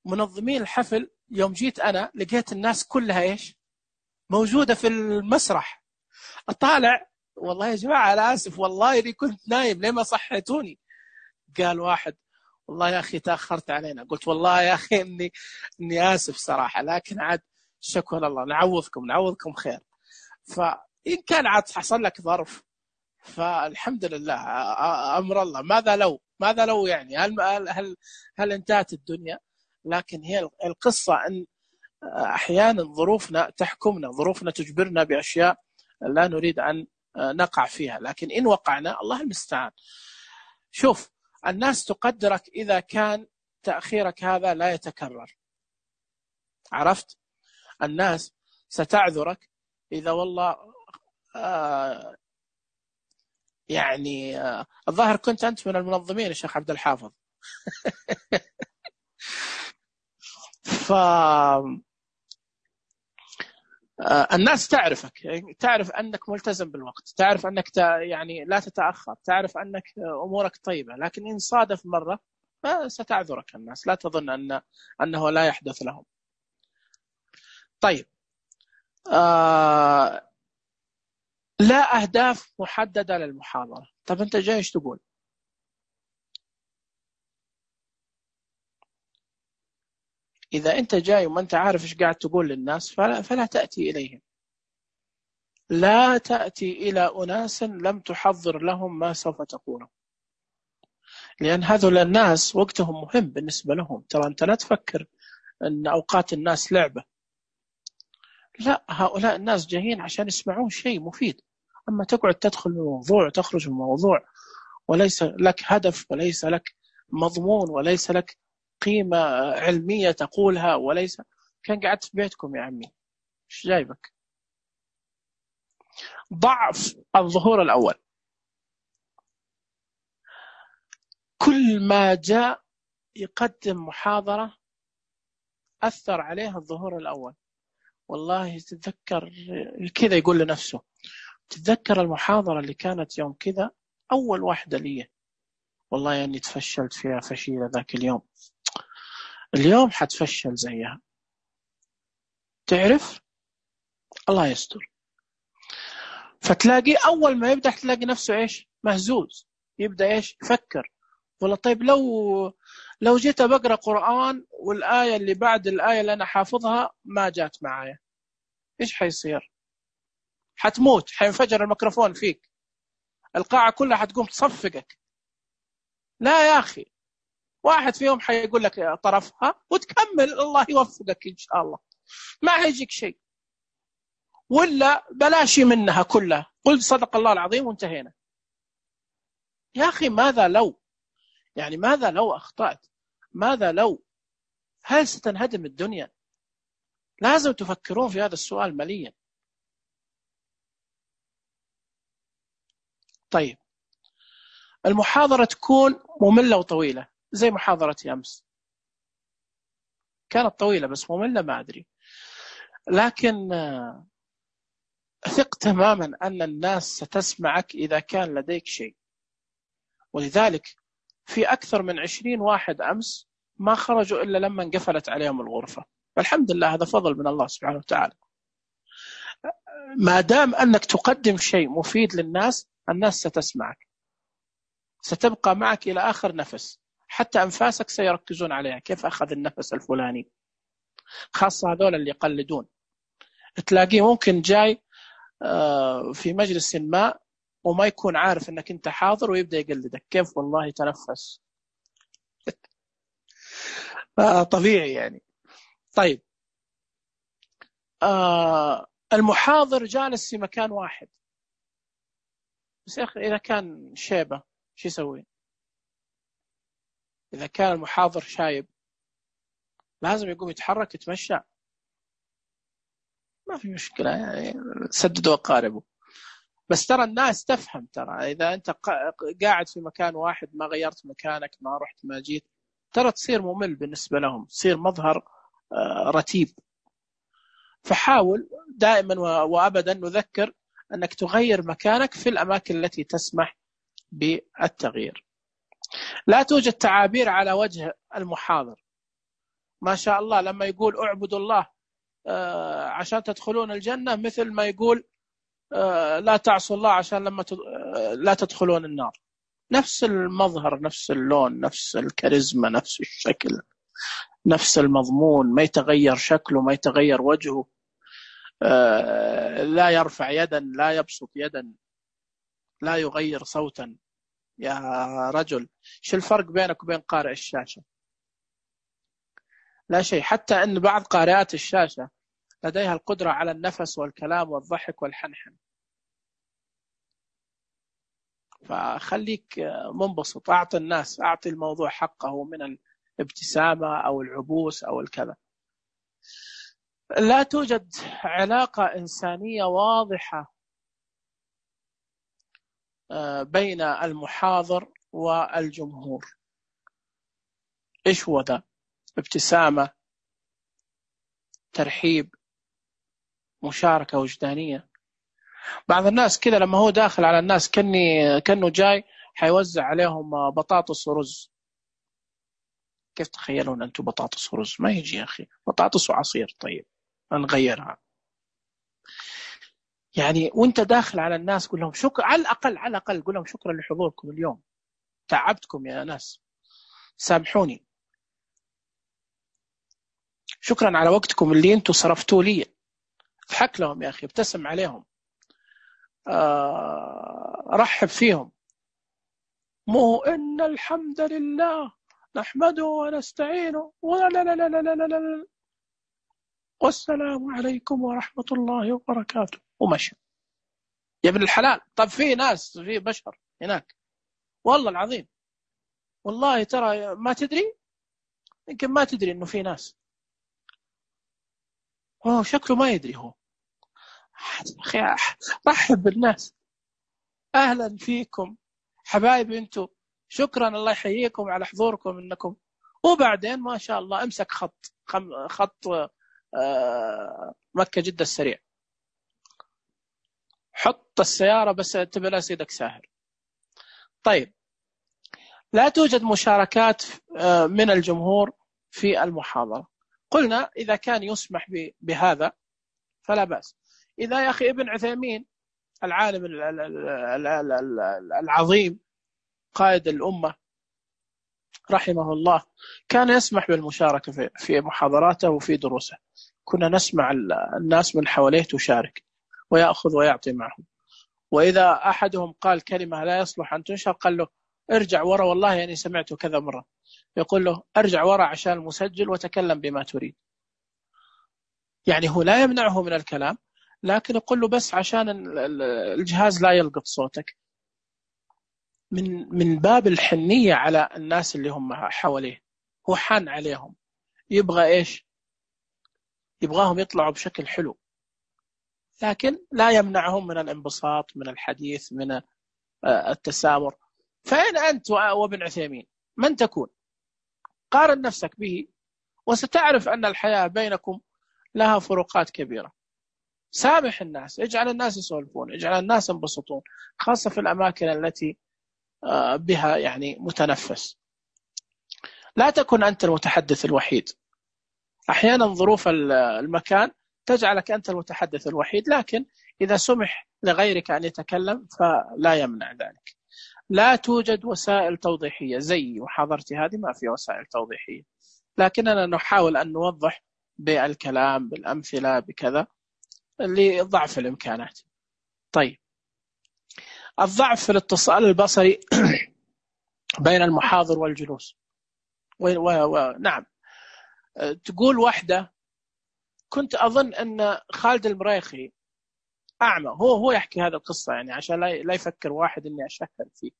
منظمين الحفل يوم جيت أنا لقيت الناس كلها إيش موجودة في المسرح. أطالع والله يا جماعة أنا آسف، والله إني كنت نايم ليه ما صحيتوني. قال واحد والله يا أخي تأخرت علينا. قلت والله يا أخي إني آسف صراحة، لكن عاد شكرا الله، نعوضكم خير. فإن كان عاد حصل لك ظرف فالحمد لله، أمر الله. ماذا لو يعني هل انتهت الدنيا؟ لكن هي القصة أن أحيانا ظروفنا تحكمنا، ظروفنا تجبرنا بأشياء لا نريد أن نقع فيها، لكن إن وقعنا الله المستعان. شوف الناس تقدرك إذا كان تأخيرك هذا لا يتكرر، عرفت؟ الناس ستعذرك إذا والله يعني الظاهر كنت أنت من المنظمين يا شيخ عبد الحافظ. الناس تعرفك، تعرف أنك ملتزم بالوقت، تعرف أنك يعني لا تتأخر، تعرف أنك أمورك طيبة. لكن إن صادف مرة ستعذرك الناس، لا تظن أنه لا يحدث لهم. طيب لا أهداف محددة للمحاضرة. طب أنت جاي إيش تقول؟ إذا أنت جاي وما أنت عارف إيش قاعد تقول للناس فلا تأتي إليهم. لا تأتي إلى أناس لم تحضر لهم ما سوف تقوله، لأن هذول الناس وقتهم مهم بالنسبة لهم. ترى أنت لا تفكر أن أوقات الناس لعبة، لا، هؤلاء الناس جايين عشان يسمعون شيء مفيد. أما تقعد تدخل من الموضوع وتخرج من الموضوع وليس لك هدف وليس لك مضمون وليس لك قيمة علمية تقولها، وليس كان قعدت في بيتكم يا عمي، إيش جايبك؟ ضعف الظهور الأول، كل ما جاء يقدم محاضرة أثر عليه الظهور الأول. والله تتذكر كذا، يقول لنفسه تتذكر المحاضرة اللي كانت يوم كذا أول واحدة لي، والله يعني تفشلت فيها فشيلة ذاك اليوم، اليوم حتفشل زيها. تعرف، الله يستر. فتلاقي أول ما يبدأ تلاقي نفسه إيش؟ مهزوز. يبدأ إيش؟ يفكر، والله طيب لو جيت بقرأ قرآن والآية اللي بعد الآية اللي أنا حافظها ما جات معايا، إيش حيصير؟ حتموت، حينفجر الميكروفون فيك، القاعة كلها حتقوم تصفقك. لا يا أخي، واحد فيهم حيقول لك طرفها وتكمل، الله يوفقك إن شاء الله، ما هيجيك شيء. ولا بلاشي منها كلها، قل صدق الله العظيم وانتهينا. يا أخي ماذا لو، يعني ماذا لو أخطأت؟ ماذا لو؟ هل ستنهدم الدنيا؟ لازم تفكرون في هذا السؤال مليا. طيب، المحاضرة تكون مملة وطويلة زي محاضرة أمس، كانت طويلة بس مملة ما أدري، لكن ثق تماما أن الناس ستسمعك إذا كان لديك شيء. ولذلك في أكثر من 20 واحد أمس ما خرجوا إلا لما انقفلت عليهم الغرفة، والحمد لله هذا فضل من الله سبحانه وتعالى. ما دام أنك تقدم شيء مفيد للناس، الناس ستسمعك، ستبقى معك إلى آخر نفس، حتى أنفاسك سيركزون عليها، كيف أخذ النفس الفلاني. خاصة هذول اللي يقلدون، تلاقيه ممكن جاي في مجلس ما وما يكون عارف أنك أنت حاضر ويبدأ يقلدك، كيف والله تنفس. طبيعي يعني. طيب، المحاضر جالس في مكان واحد، بس يا أخي إذا كان شيبة شو يسوي؟ إذا كان المحاضر شايب لازم يقوم يتحرك يتمشى، ما في مشكلة يعني، سددوا أقاربه. بس ترى الناس تفهم، ترى إذا أنت قاعد في مكان واحد ما غيرت مكانك، ما رحت ما جيت، ترى تصير ممل بالنسبة لهم، تصير مظهر رتيب. فحاول دائما وأبدا نذكر أنك تغير مكانك في الأماكن التي تسمح بالتغيير. لا توجد تعابير على وجه المحاضر، ما شاء الله لما يقول اعبدوا الله عشان تدخلون الجنة، مثل ما يقول لا تعصوا الله عشان لما لا تدخلون النار. نفس المظهر، نفس اللون، نفس الكاريزما، نفس الشكل، نفس المضمون، ما يتغير شكله، ما يتغير وجهه، لا يرفع يدا، لا يبسط يدا، لا يغير صوتا. يا رجل، شو الفرق بينك وبين قارئ الشاشة؟ لا شيء. حتى أن بعض قارئات الشاشة لديها القدرة على النفس والكلام والضحك والحنحن. فخليك منبسط، أعطي الناس، أعطي الموضوع حقه من الابتسامة أو العبوس أو الكذا. لا توجد علاقة إنسانية واضحة بين المحاضر والجمهور. إيش هو ذا؟ ابتسامة، ترحيب، مشاركة وجدانية. بعض الناس كذا لما هو داخل على الناس كأنه جاي حيوزع عليهم بطاطس ورز. كيف تخيلون أنتم بطاطس ورز؟ ما يجي يا أخي، بطاطس وعصير. طيب نغيرها يعني. وانت داخل على الناس قول لهم شكرا، على الأقل قول لهم شكرا لحضوركم اليوم، تعبتكم يا ناس، سامحوني. شكرا على وقتكم اللي انتم صرفتوه لي. اضحك لهم يا أخي، ابتسم عليهم، رحب فيهم. مو إن الحمد لله نحمده ونستعينه ولا لا لا لا لا لا لا لا والسلام عليكم ورحمة الله وبركاته ومشي يا ابن الحلال. طب في ناس، في بشر هناك والله العظيم، والله ترى ما تدري، يمكن ما تدري إنه في ناس هو شكله ما يدري هو. أخي رحب بالناس، أهلا فيكم حبايبي أنتم، شكرا الله يحييكم على حضوركم إنكم. وبعدين ما شاء الله امسك خط مكة جدة السريع، حط السيارة بس تبلا سيدك ساهر. طيب، لا توجد مشاركات من الجمهور في المحاضرة. قلنا إذا كان يسمح بهذا فلا بأس. إذا يا أخي ابن عثيمين العالم العظيم قائد الأمة رحمه الله كان يسمح بالمشاركة في محاضراته وفي دروسه، كنا نسمع الناس من حواليه تشارك ويأخذ ويعطي معهم. وإذا أحدهم قال كلمة لا يصلح أن تنشر قال له ارجع ورا، والله يعني سمعته كذا مرة، يقول له ارجع ورا عشان المسجل وتكلم بما تريد. يعني هو لا يمنعه من الكلام، لكن يقول له بس عشان الجهاز لا يلقط صوتك، من باب الحنية على الناس اللي هم حواليه. هو حان عليهم، يبغى إيش؟ يبغاهم يطلعوا بشكل حلو، لكن لا يمنعهم من الانبساط، من الحديث، من التسامر. فأين أنت وابن عثيمين؟ من تكون؟ قارن نفسك به وستعرف أن الحياة بينكم لها فروقات كبيرة. سامح الناس، اجعل الناس يسولفون، اجعل الناس ينبسطون، خاصة في الأماكن التي بها يعني متنفس. لا تكن أنت المتحدث الوحيد. أحيانا ظروف المكان تجعلك أنت المتحدث الوحيد، لكن إذا سمح لغيرك أن يتكلم فلا يمنع ذلك. لا توجد وسائل توضيحية، زي محاضرتي هذه ما في وسائل توضيحية، لكننا نحاول أن نوضح بالكلام، بالأمثلة، بكذا، لضعف الإمكانات. طيب، الضعف في الاتصال البصري بين المحاضر والجلوس. نعم، تقول واحدة كنت أظن أن خالد المريخي أعمى، هو يحكي هذا القصة يعني عشان لا يفكر واحد أني أشهر فيه.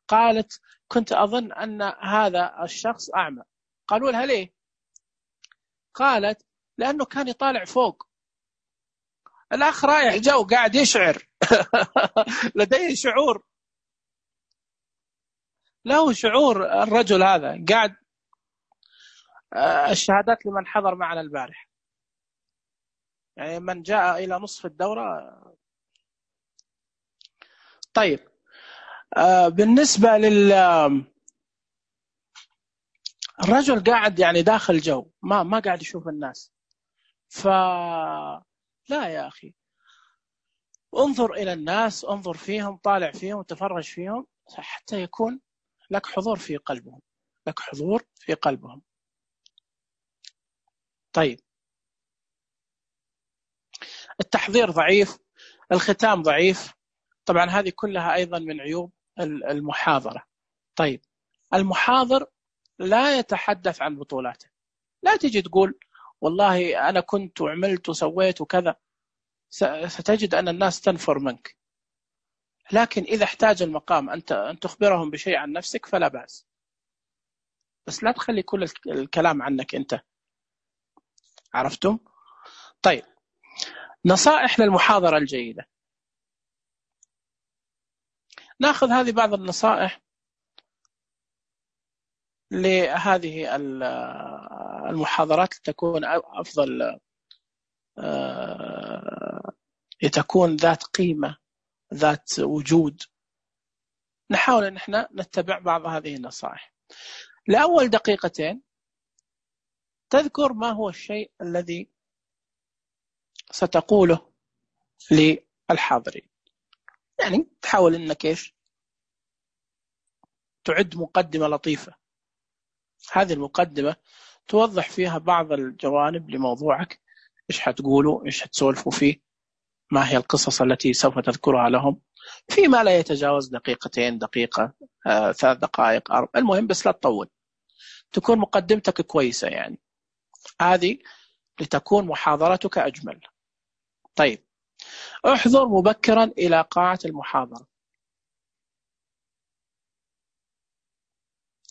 قالت كنت أظن أن هذا الشخص أعمى. قالوا لها ليه؟ قالت لأنه كان يطالع فوق. الأخ رايح جو قاعد يشعر لديه شعور، له شعور الرجل هذا قاعد. الشهادات لمن حضر معنا البارح، يعني من جاء إلى نصف الدورة. طيب، بالنسبة الرجل قاعد يعني داخل جو، ما قاعد يشوف الناس. لا يا أخي، انظر إلى الناس، انظر فيهم، طالع فيهم، تفرج فيهم، حتى يكون لك حضور في قلبهم، لك حضور في قلبهم. طيب، التحضير ضعيف، الختام ضعيف، طبعا هذه كلها أيضا من عيوب المحاضرة. طيب، المحاضر لا يتحدث عن بطولاته. لا تجي تقول والله أنا كنت وعملت وسويت وكذا، ستجد أن الناس تنفر منك. لكن إذا احتاج المقام أن تخبرهم بشيء عن نفسك فلا بأس، بس لا تخلي كل الكلام عنك أنت. عرفتم؟ طيب، نصائح للمحاضرة الجيدة. نأخذ هذه بعض النصائح لهذه المحاضرات لتكون أفضل، لتكون ذات قيمة، ذات وجود. نحاول أن احنا نتبع بعض هذه النصائح. لأول دقيقتين تذكر ما هو الشيء الذي ستقوله للحاضرين. يعني تحاول أنك إيش تعد مقدمة لطيفة. هذه المقدمة توضح فيها بعض الجوانب لموضوعك، إيش حتقولوا، إيش حتسولفوا فيه، ما هي القصص التي سوف تذكرها لهم، فيما لا يتجاوز دقيقتين، دقيقة، 3 دقائق، 4، المهم بس لا تطول، تكون مقدمتك كويسة يعني، هذه لتكون محاضرتك أجمل. طيب، احضر مبكرا إلى قاعة المحاضرة،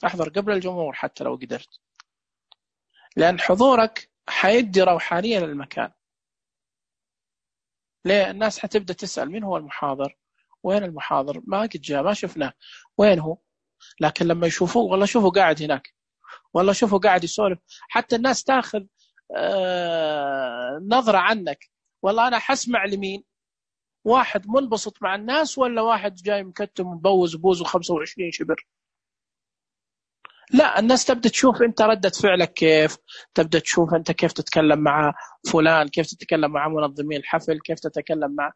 احضر قبل الجمهور حتى لو قدرت، لأن حضورك حيدي روحانية للمكان. ليه؟ الناس حتبدأ تسأل مين هو المحاضر، وين المحاضر، ما قد جاء، ما شفناه، وين هو؟ لكن لما يشوفوه، والله شوفوا قاعد هناك، والله شوفوا قاعد يسولف، حتى الناس تاخذ نظرة عنك، والله أنا حسمع لمين، واحد منبسط مع الناس ولا واحد جاي مكتم مبوز بوزه 25 شبر. لا، الناس تبدأ تشوف أنت ردة فعلك كيف، تبدأ تشوف أنت كيف تتكلم مع فلان، كيف تتكلم مع منظمين الحفل، كيف تتكلم مع،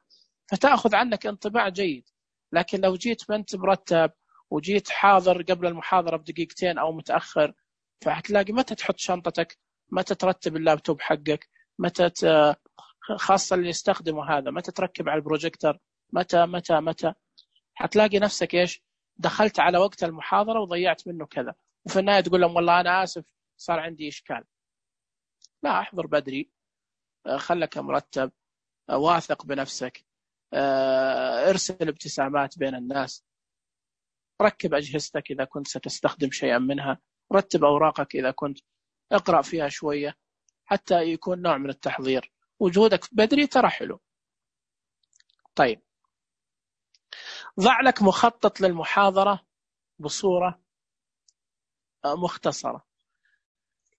فتأخذ عنك انطباع جيد. لكن لو جيت ما أنت مرتب وجيت حاضر قبل المحاضرة بدقيقتين أو متأخر، فهتلاقي متى تحط شنطتك، متى ترتب اللابتوب حقك، متى خاصة اللي يستخدموا هذا، متى تركب على البروجيكتور، متى هتلاقي نفسك إيش، دخلت على وقت المحاضرة وضيعت منه كذا، وفي النهاية تقول لهم والله أنا آسف صار عندي إشكال. لا، احضر بدري، خلك مرتب، واثق بنفسك، ارسل ابتسامات بين الناس، ركب أجهزتك إذا كنت ستستخدم شيئا منها، رتب أوراقك إذا كنت، اقرأ فيها شوية حتى يكون نوع من التحضير. وجودك بدري ترى حلو. طيب، ضع لك مخطط للمحاضرة بصورة مختصرة،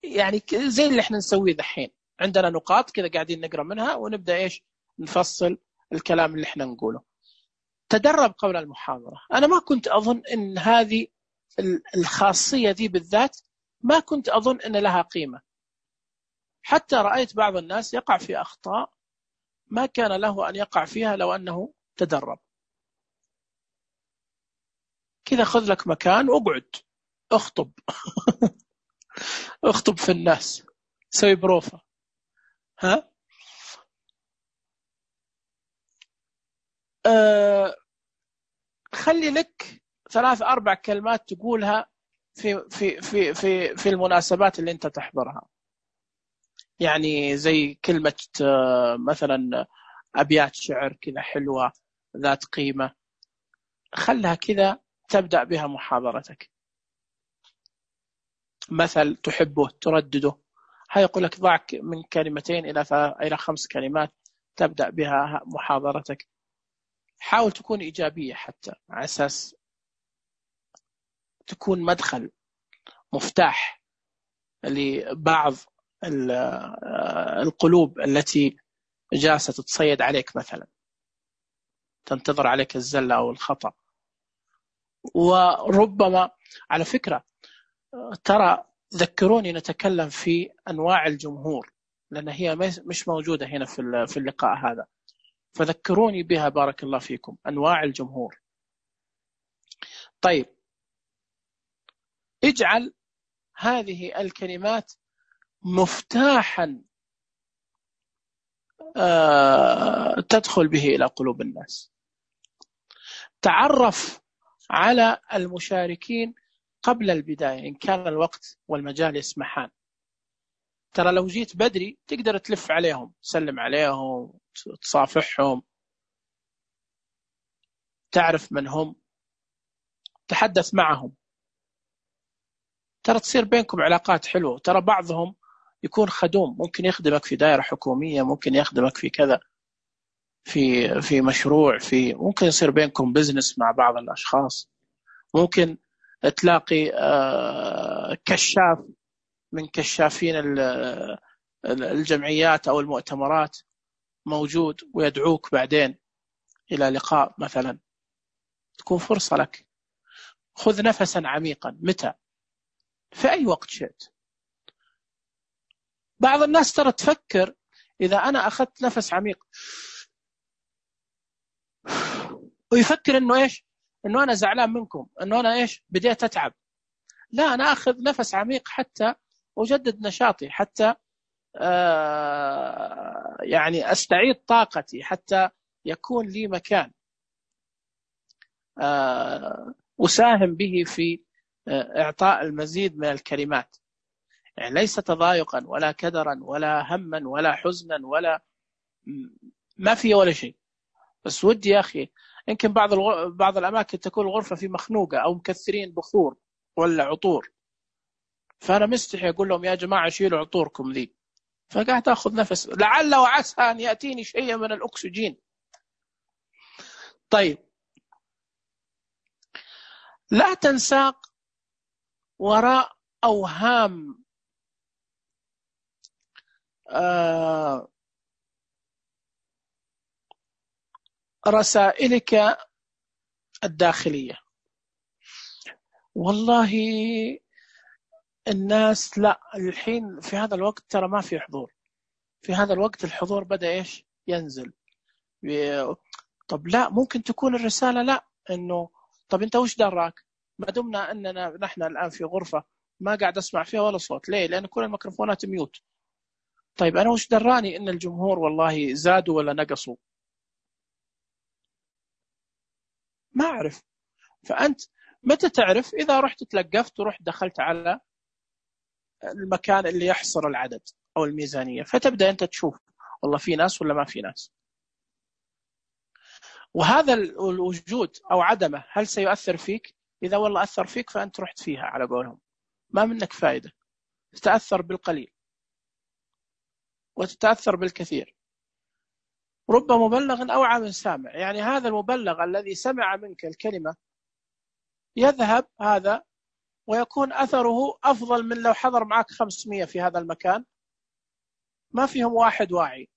يعني زي اللي احنا نسويه دحين، عندنا نقاط كذا قاعدين نقرأ منها ونبدأ إيش نفصل الكلام اللي احنا نقوله. تدرب قبل المحاضرة. أنا ما كنت أظن أن هذه الخاصية دي بالذات، ما كنت أظن أن لها قيمة، حتى رأيت بعض الناس يقع في أخطاء ما كان له أن يقع فيها لو أنه تدرب. كذا خذ لك مكان واقعد اخطب اخطب في الناس، سوي بروفة، ها خلي لك 3-4 كلمات تقولها في المناسبات اللي انت تحضرها، يعني زي كلمة مثلا أبيات شعر كذا حلوة ذات قيمة، خلها كذا تبدأ بها محاضرتك. مثل تحبه تردده، هاي يقول لك ضع من 2 إلى 5 كلمات تبدأ بها محاضرتك. حاول تكون إيجابية حتى على أساس تكون مدخل، مفتاح لبعض القلوب التي جالسة تتصيد عليك، مثلا تنتظر عليك الزلة أو الخطأ. وربما على فكرة ترى ذكروني نتكلم في أنواع الجمهور، لأن هي مش موجودة هنا في اللقاء هذا، فذكروني بها بارك الله فيكم، أنواع الجمهور. طيب، اجعل هذه الكلمات مفتاحا تدخل به إلى قلوب الناس. تعرف على المشاركين قبل البداية إن كان الوقت والمجال يسمحان. ترى لو جيت بدري تقدر تلف عليهم، تسلم عليهم، تصافحهم، تعرف من هم، تحدث معهم، ترى تصير بينكم علاقات حلوة. ترى بعضهم يكون خدوم، ممكن يخدمك في دائرة حكومية، ممكن يخدمك في كذا، في مشروع، ممكن يصير بينكم بزنس مع بعض الأشخاص، ممكن تلاقي كشاف من كشافين الجمعيات أو المؤتمرات موجود ويدعوك بعدين إلى لقاء مثلا، تكون فرصة لك. خذ نفسا عميقا، متى؟ في أي وقت شئت. بعض الناس ترى تفكر إذا أنا أخذت نفس عميق ويفكر إنه إيش، إنه أنا زعلان منكم، إنه أنا إيش بديت أتعب. لا، أنا أخذ نفس عميق حتى أجدد نشاطي، حتى يعني أستعيد طاقتي، حتى يكون لي مكان أساهم به في إعطاء المزيد من الكلمات. يعني ليس تضايقا ولا كدرا ولا هما ولا حزنا ولا ما في ولا شيء، بس ودي يا أخي. يمكن بعض الأماكن تكون الغرفة في مخنوقة أو مكثرين بخور ولا عطور، فأنا مستحي أقول لهم يا جماعة شيلوا عطوركم ذي، فقاعد أخذ نفس لعل وعسى أن يأتيني شيء من الأكسجين. طيب، لا تنساق وراء أوهام رسائلك الداخلية. والله الناس لا، الحين في هذا الوقت ترى ما في حضور، في هذا الوقت الحضور بدأ إيش ينزل. طب لا، ممكن تكون الرسالة لا، إنه طب أنت وش دراك؟ ما دمنا أننا نحن الآن في غرفة ما قاعد أسمع فيها ولا صوت، ليه؟ لأن كل الميكروفونات ميوت. طيب أنا وش دراني إن الجمهور والله زادوا ولا نقصوا؟ ما أعرف. فأنت متى تعرف؟ إذا رحت تلقفت ورحت دخلت على المكان اللي يحصر العدد أو الميزانية، فتبدأ أنت تشوف والله في ناس ولا ما في ناس. وهذا الوجود أو عدمه هل سيؤثر فيك؟ إذا والله أثر فيك فأنت رحت فيها على قولهم، ما منك فائدة، تتأثر بالقليل وتتأثر بالكثير. رب مبلغ أوعى من سامع، يعني هذا المبلغ الذي سمع منك الكلمة يذهب هذا ويكون أثره أفضل من لو حضر معك 500 في هذا المكان ما فيهم واحد واعي،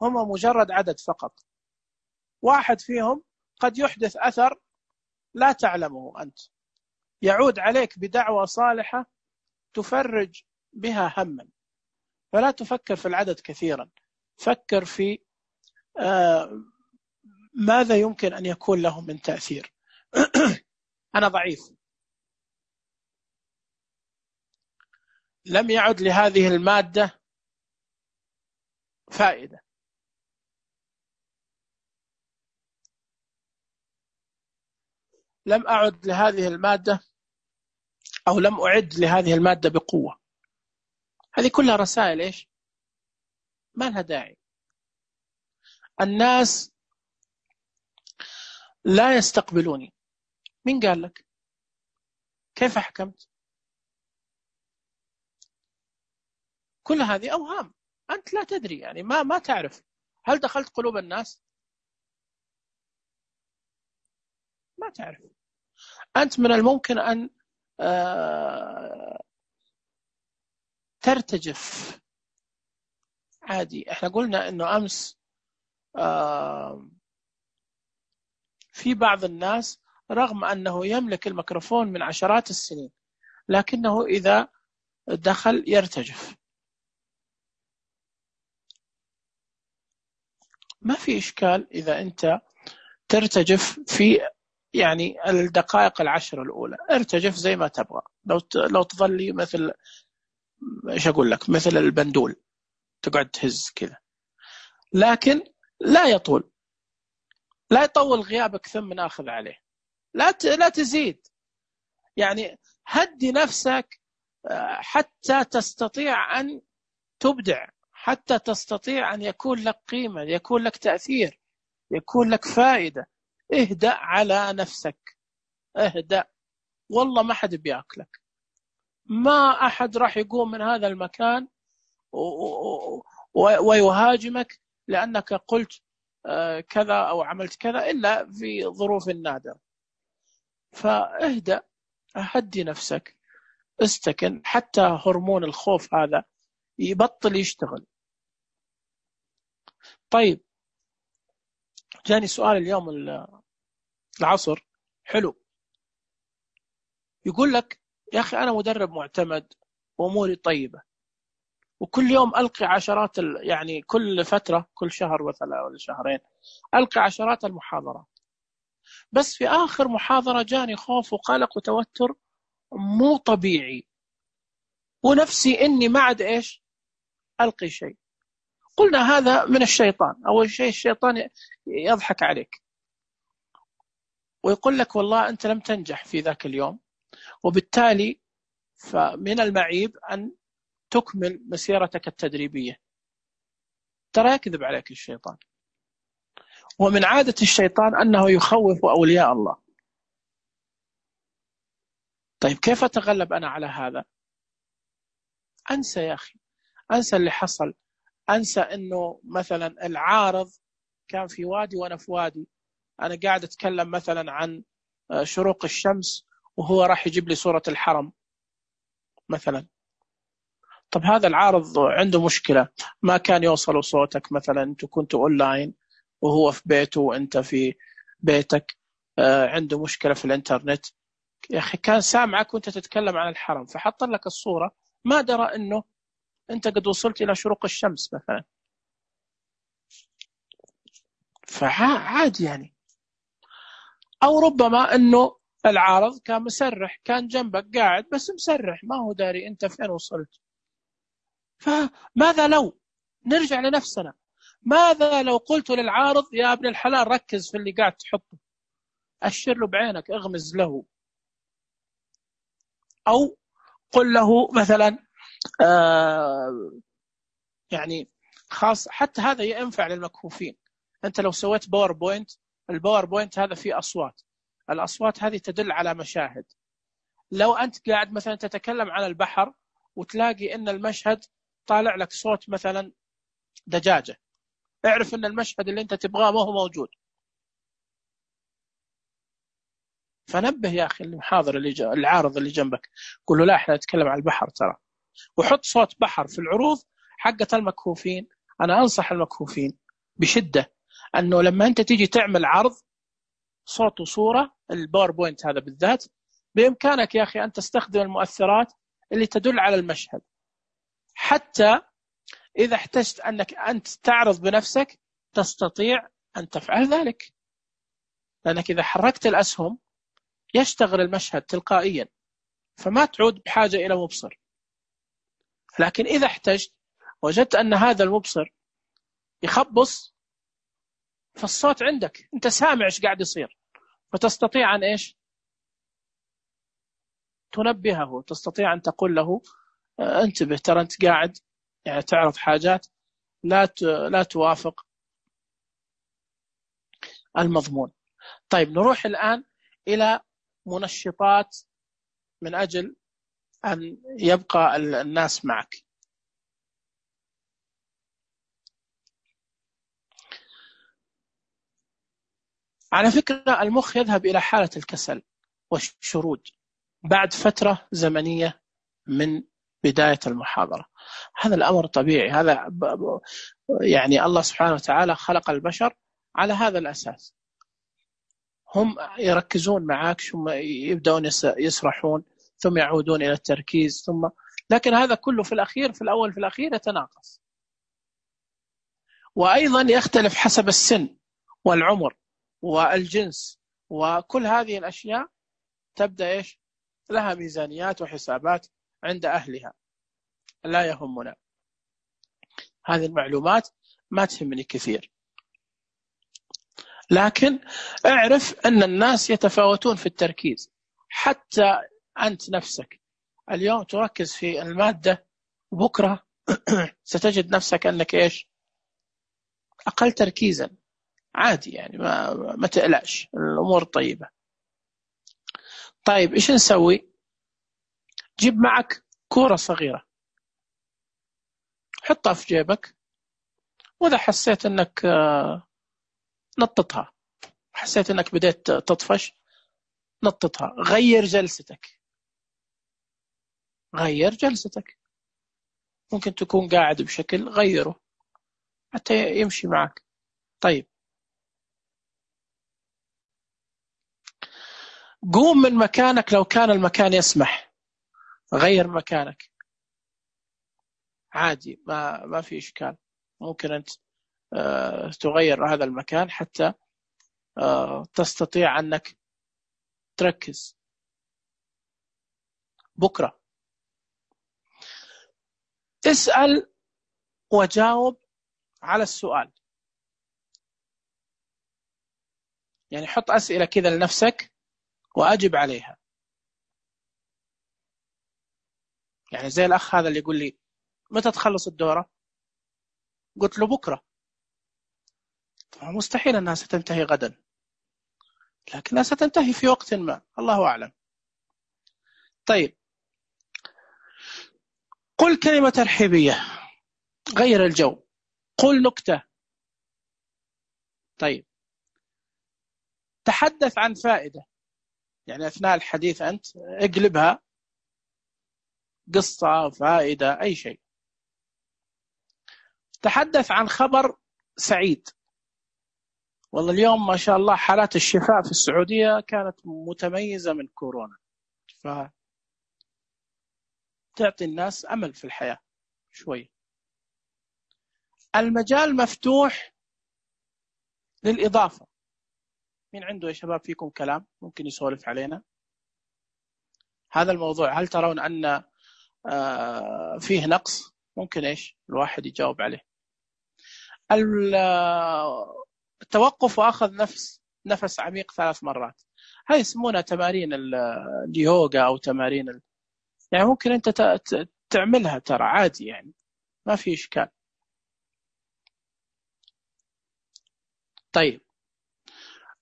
هم مجرد عدد فقط. واحد فيهم قد يحدث أثر لا تعلمه أنت، يعود عليك بدعوة صالحة تفرج بها هما. فلا تفكر في العدد كثيرا، فكر في ماذا يمكن أن يكون له من تأثير. أنا ضعيف، لم يعد لهذه المادة فائدة، لم أعد لهذه المادة أو لم أعد لهذه المادة بقوة. هذه كلها رسائل إيش؟ ما لها داعي. الناس لا يستقبلوني. مين قال لك؟ كيف حكمت؟ كل هذه أوهام، أنت لا تدري، يعني ما تعرف. هل دخلت قلوب الناس؟ ما تعرف. أنت من الممكن أن ترتجف عادي. احنا قلنا انه امس في بعض الناس رغم انه يملك الميكروفون من عشرات السنين لكنه اذا دخل يرتجف. ما في اشكال اذا انت ترتجف في يعني الدقائق 10 الاولى، ارتجف زي ما تبغى. لو تظلي مثل ايش اقول لك، مثل البندول تقعد تهز كذا، لكن لا يطول، لا يطول غيابك ثم ناخذ عليه. لا تزيد، يعني هدي نفسك حتى تستطيع أن تبدع، حتى تستطيع أن يكون لك قيمة، يكون لك تأثير، يكون لك فائدة. اهدأ على نفسك، اهدأ. والله ما حد بياكلك، ما أحد راح يقوم من هذا المكان ويهاجمك لأنك قلت كذا أو عملت كذا إلا في ظروف نادرة. فاهدأ، هدي نفسك، استكن حتى هرمون الخوف هذا يبطل يشتغل. طيب، جاني سؤال اليوم العصر حلو، يقول لك يا أخي أنا مدرب معتمد وأموري طيبة وكل يوم ألقي عشرات يعني كل فترة، كل شهر مثلا ولا شهرين ألقي عشرات المحاضرات، بس في آخر محاضرة جاني خوف وقلق وتوتر مو طبيعي. ونفسي إني ما عاد إيش ألقي شيء. قلنا هذا من الشيطان. أول شيء الشيطان يضحك عليك ويقول لك والله أنت لم تنجح في ذاك اليوم، وبالتالي فمن المعيب أن تكمل مسيرتك التدريبية. ترى يكذب عليك الشيطان، ومن عادة الشيطان أنه يخوف أولياء الله. طيب كيف أتغلب أنا على هذا؟ أنسى يا أخي، أنسى اللي حصل، أنسى أنه مثلا العارض كان في وادي وأنا في وادي، أنا قاعد أتكلم مثلا عن شروق الشمس وهو راح يجيب لي صورة الحرم مثلا. طب هذا العارض عنده مشكلة، ما كان يوصل صوتك مثلا، أنت كنت أونلاين وهو في بيته وأنت في بيتك، عنده مشكلة في الإنترنت يا أخي، كان سامعك وأنت تتكلم عن الحرم فحط لك الصورة، ما درى أنه أنت قد وصلت إلى شروق الشمس مثلا. فعادي يعني. أو ربما أنه العارض كان مسرح، كان جنبك قاعد بس مسرح، ما هو داري أنت فين وصلت. فماذا لو نرجع لنفسنا، ماذا لو قلت للعارض يا ابن الحلال ركز في اللي قاعد تحطه، أشر له بعينك، اغمز له، أو قل له مثلا يعني خاص. حتى هذا ينفع للمكفوفين. أنت لو سويت باوربوينت، الباوربوينت هذا فيه أصوات، الأصوات هذه تدل على مشاهد. لو أنت قاعد مثلا تتكلم عن البحر وتلاقي أن المشهد طالع لك صوت مثلا دجاجة، اعرف أن المشهد اللي أنت تبغاه ما هو موجود. فنبه يا أخي المحاضر العارض اللي جنبك، قل له لا احنا نتكلم عن البحر ترى، وحط صوت بحر في العروض حقة المكفوفين. أنا أنصح المكفوفين بشدة أنه لما أنت تيجي تعمل عرض صوت وصورة، الباوربوينت هذا بالذات، بإمكانك يا أخي أن تستخدم المؤثرات اللي تدل على المشهد، حتى إذا احتجت أنك أنت تعرض بنفسك تستطيع أن تفعل ذلك، لأنك إذا حركت الأسهم يشتغل المشهد تلقائيا، فما تعود بحاجة إلى مبصر. لكن إذا احتجت وجدت أن هذا المبصر يخبص، فالصوت عندك أنت سامع إيش قاعد يصير، فتستطيع أن إيش تنبهه، تستطيع أن تقول له انتبه ترى أنت قاعد يعني تعرض حاجات لا توافق المضمون. طيب نروح الآن إلى منشطات من أجل أن يبقى الناس معك. على فكرة المخ يذهب إلى حالة الكسل والشرود بعد فترة زمنية من بداية المحاضرة. هذا الأمر طبيعي، هذا يعني الله سبحانه وتعالى خلق البشر على هذا الأساس. هم يركزون معك ثم يبدأون يسرحون ثم يعودون إلى التركيز ثم، لكن هذا كله في الأخير، في الأول في الأخير يتناقص. وأيضا يختلف حسب السن والعمر والجنس، وكل هذه الأشياء تبدأ إيش لها ميزانيات وحسابات عند أهلها، لا يهمنا هذه المعلومات، ما تهمني كثير. لكن اعرف أن الناس يتفاوتون في التركيز، حتى أنت نفسك اليوم تركز في المادة، وبكرة ستجد نفسك أنك إيش أقل تركيزا. عادي يعني، ما تقلقش، الأمور طيبة. طيب إيش نسوي؟ جيب معك كورة صغيرة، حطها في جيبك، وإذا حسيت أنك نططها، حسيت أنك بديت تطفش نططها. غير جلستك، غير جلستك، ممكن تكون قاعد بشكل غيره حتى يمشي معك. طيب قوم من مكانك لو كان المكان يسمح، غير مكانك عادي، ما في إشكال. ممكن أنت تغير هذا المكان حتى تستطيع أنك تركز. بكرة اسأل وجاوب على السؤال، يعني حط أسئلة كذا لنفسك وأجب عليها. يعني زي الأخ هذا اللي يقول لي متى تخلص الدورة؟ قلت له بكرة. مستحيل أنها ستنتهي غدا، لكنها ستنتهي في وقت ما، الله أعلم. طيب، قل كلمة ترحيبية، غير الجو، قل نكتة. طيب، تحدث عن فائدة، يعني أثناء الحديث أنت اقلبها قصة، فائدة، أي شيء. تحدث عن خبر سعيد، والله اليوم ما شاء الله حالات الشفاء في السعودية كانت متميزة من كورونا، فتعطي الناس أمل في الحياة شوي. المجال مفتوح للإضافة. مين عنده يا شباب فيكم كلام ممكن يسولف علينا هذا الموضوع؟ هل ترون أن فيه نقص؟ ممكن إيش الواحد يجاوب عليه. التوقف وأخذ نفس عميق 3 مرات، هاي يسمونها تمارين اليوغا أو تمارين يعني ممكن أنت تعملها، ترى عادي، يعني ما في إشكال. طيب،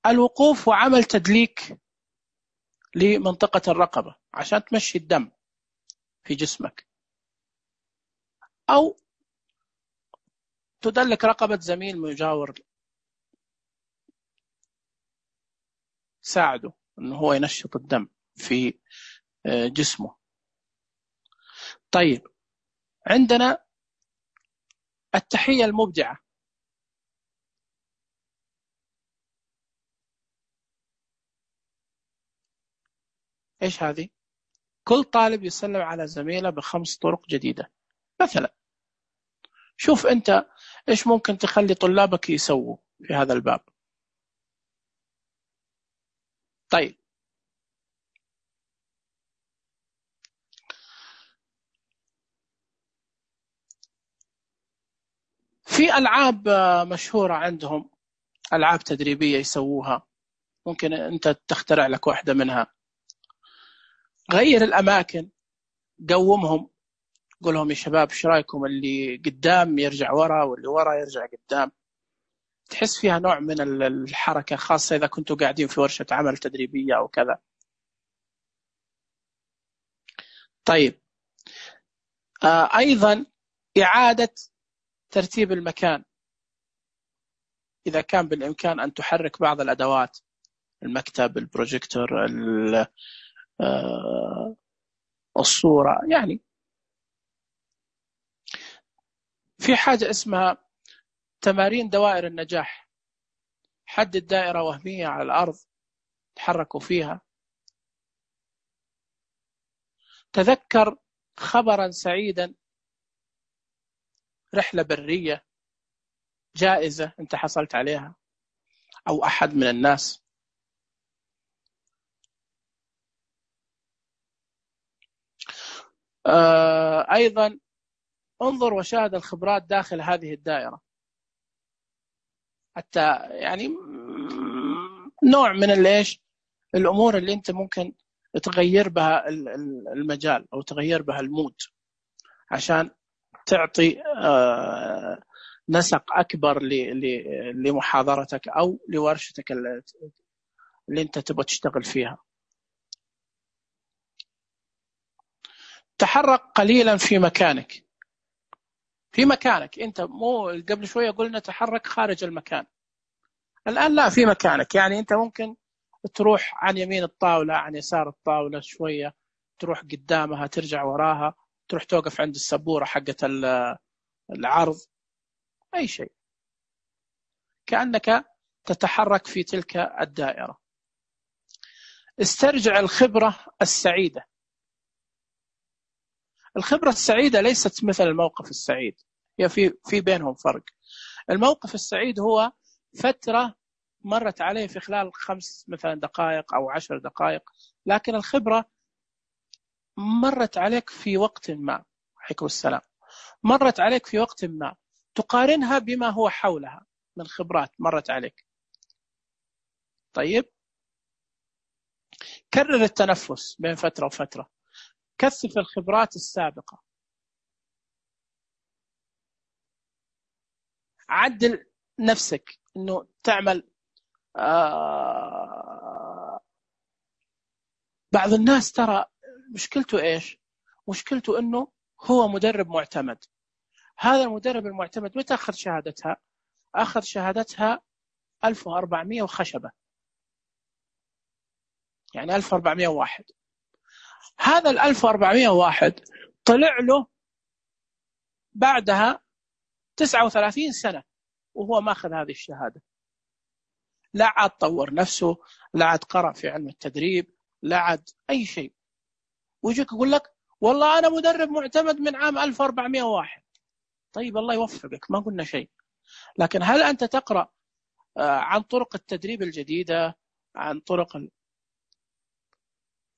الوقوف وعمل تدليك لمنطقة الرقبة عشان تمشي الدم في جسمك، أو تدلك رقبة زميل مجاور، ساعده أنه هو ينشط الدم في جسمه. طيب، عندنا التحية المبدعة. إيش هذه؟ كل طالب يسلم على زميله ب5 طرق جديدة مثلا. شوف أنت إيش ممكن تخلي طلابك يسووا في هذا الباب. طيب، في ألعاب مشهورة عندهم، ألعاب تدريبية يسووها، ممكن أنت تخترع لك واحدة منها. غير الأماكن، قومهم، قول لهم يا شباب ايش رايكم اللي قدام يرجع ورا واللي ورا يرجع قدام، تحس فيها نوع من الحركة، خاصة إذا كنتوا قاعدين في ورشة عمل تدريبية أو كذا. طيب، أيضا إعادة ترتيب المكان، إذا كان بالإمكان أن تحرك بعض الأدوات، المكتب، البروجيكتور، الصورة. يعني في حاجة اسمها تمارين دوائر النجاح، حدد دائرة وهمية على الأرض تحركوا فيها. تذكر خبرا سعيدا، رحلة برية، جائزة أنت حصلت عليها أو أحد من الناس. أيضا انظر وشاهد الخبرات داخل هذه الدائرة، حتى يعني نوع من الأمور اللي أنت ممكن تغير بها المجال أو تغير بها المود عشان تعطي نسق أكبر لمحاضرتك أو لورشتك اللي أنت تبغى تشتغل فيها. تحرك قليلا في مكانك. أنت مو قبل شوية قلنا تحرك خارج المكان، الآن لا، في مكانك. يعني أنت ممكن تروح عن يمين الطاولة، عن يسار الطاولة شوية، تروح قدامها، ترجع وراها، تروح توقف عند السبورة حقة العرض، أي شيء، كأنك تتحرك في تلك الدائرة. استرجع الخبرة السعيدة. الخبرة السعيدة ليست مثل الموقف السعيد، هي في بينهم فرق. الموقف السعيد هو فترة مرت عليه في خلال 5 مثلا دقائق أو 10 دقائق، لكن الخبرة مرت عليك في وقت ما. عليكم السلام. مرت عليك في وقت ما، تقارنها بما هو حولها من خبرات مرت عليك. طيب، كرر التنفس بين فترة وفترة، كثف الخبرات السابقة، عدل نفسك إنه تعمل. بعض الناس ترى مشكلته إيش؟ مشكلته إنه هو مدرب معتمد. هذا المدرب المعتمد متى أخذ شهادتها؟ أخذ شهادتها 1400 وخشبة، يعني 1401. هذا 1401 طلع له بعدها 39 سنة وهو ماخذ هذه الشهادة. لا عاد طور نفسه، لا عاد قرأ في علم التدريب، لا عاد أي شيء، ويجيك يقول لك والله أنا مدرب معتمد من عام 1401. طيب الله يوفقك، ما قلنا شيء، لكن هل أنت تقرأ عن طرق التدريب الجديدة، عن طرق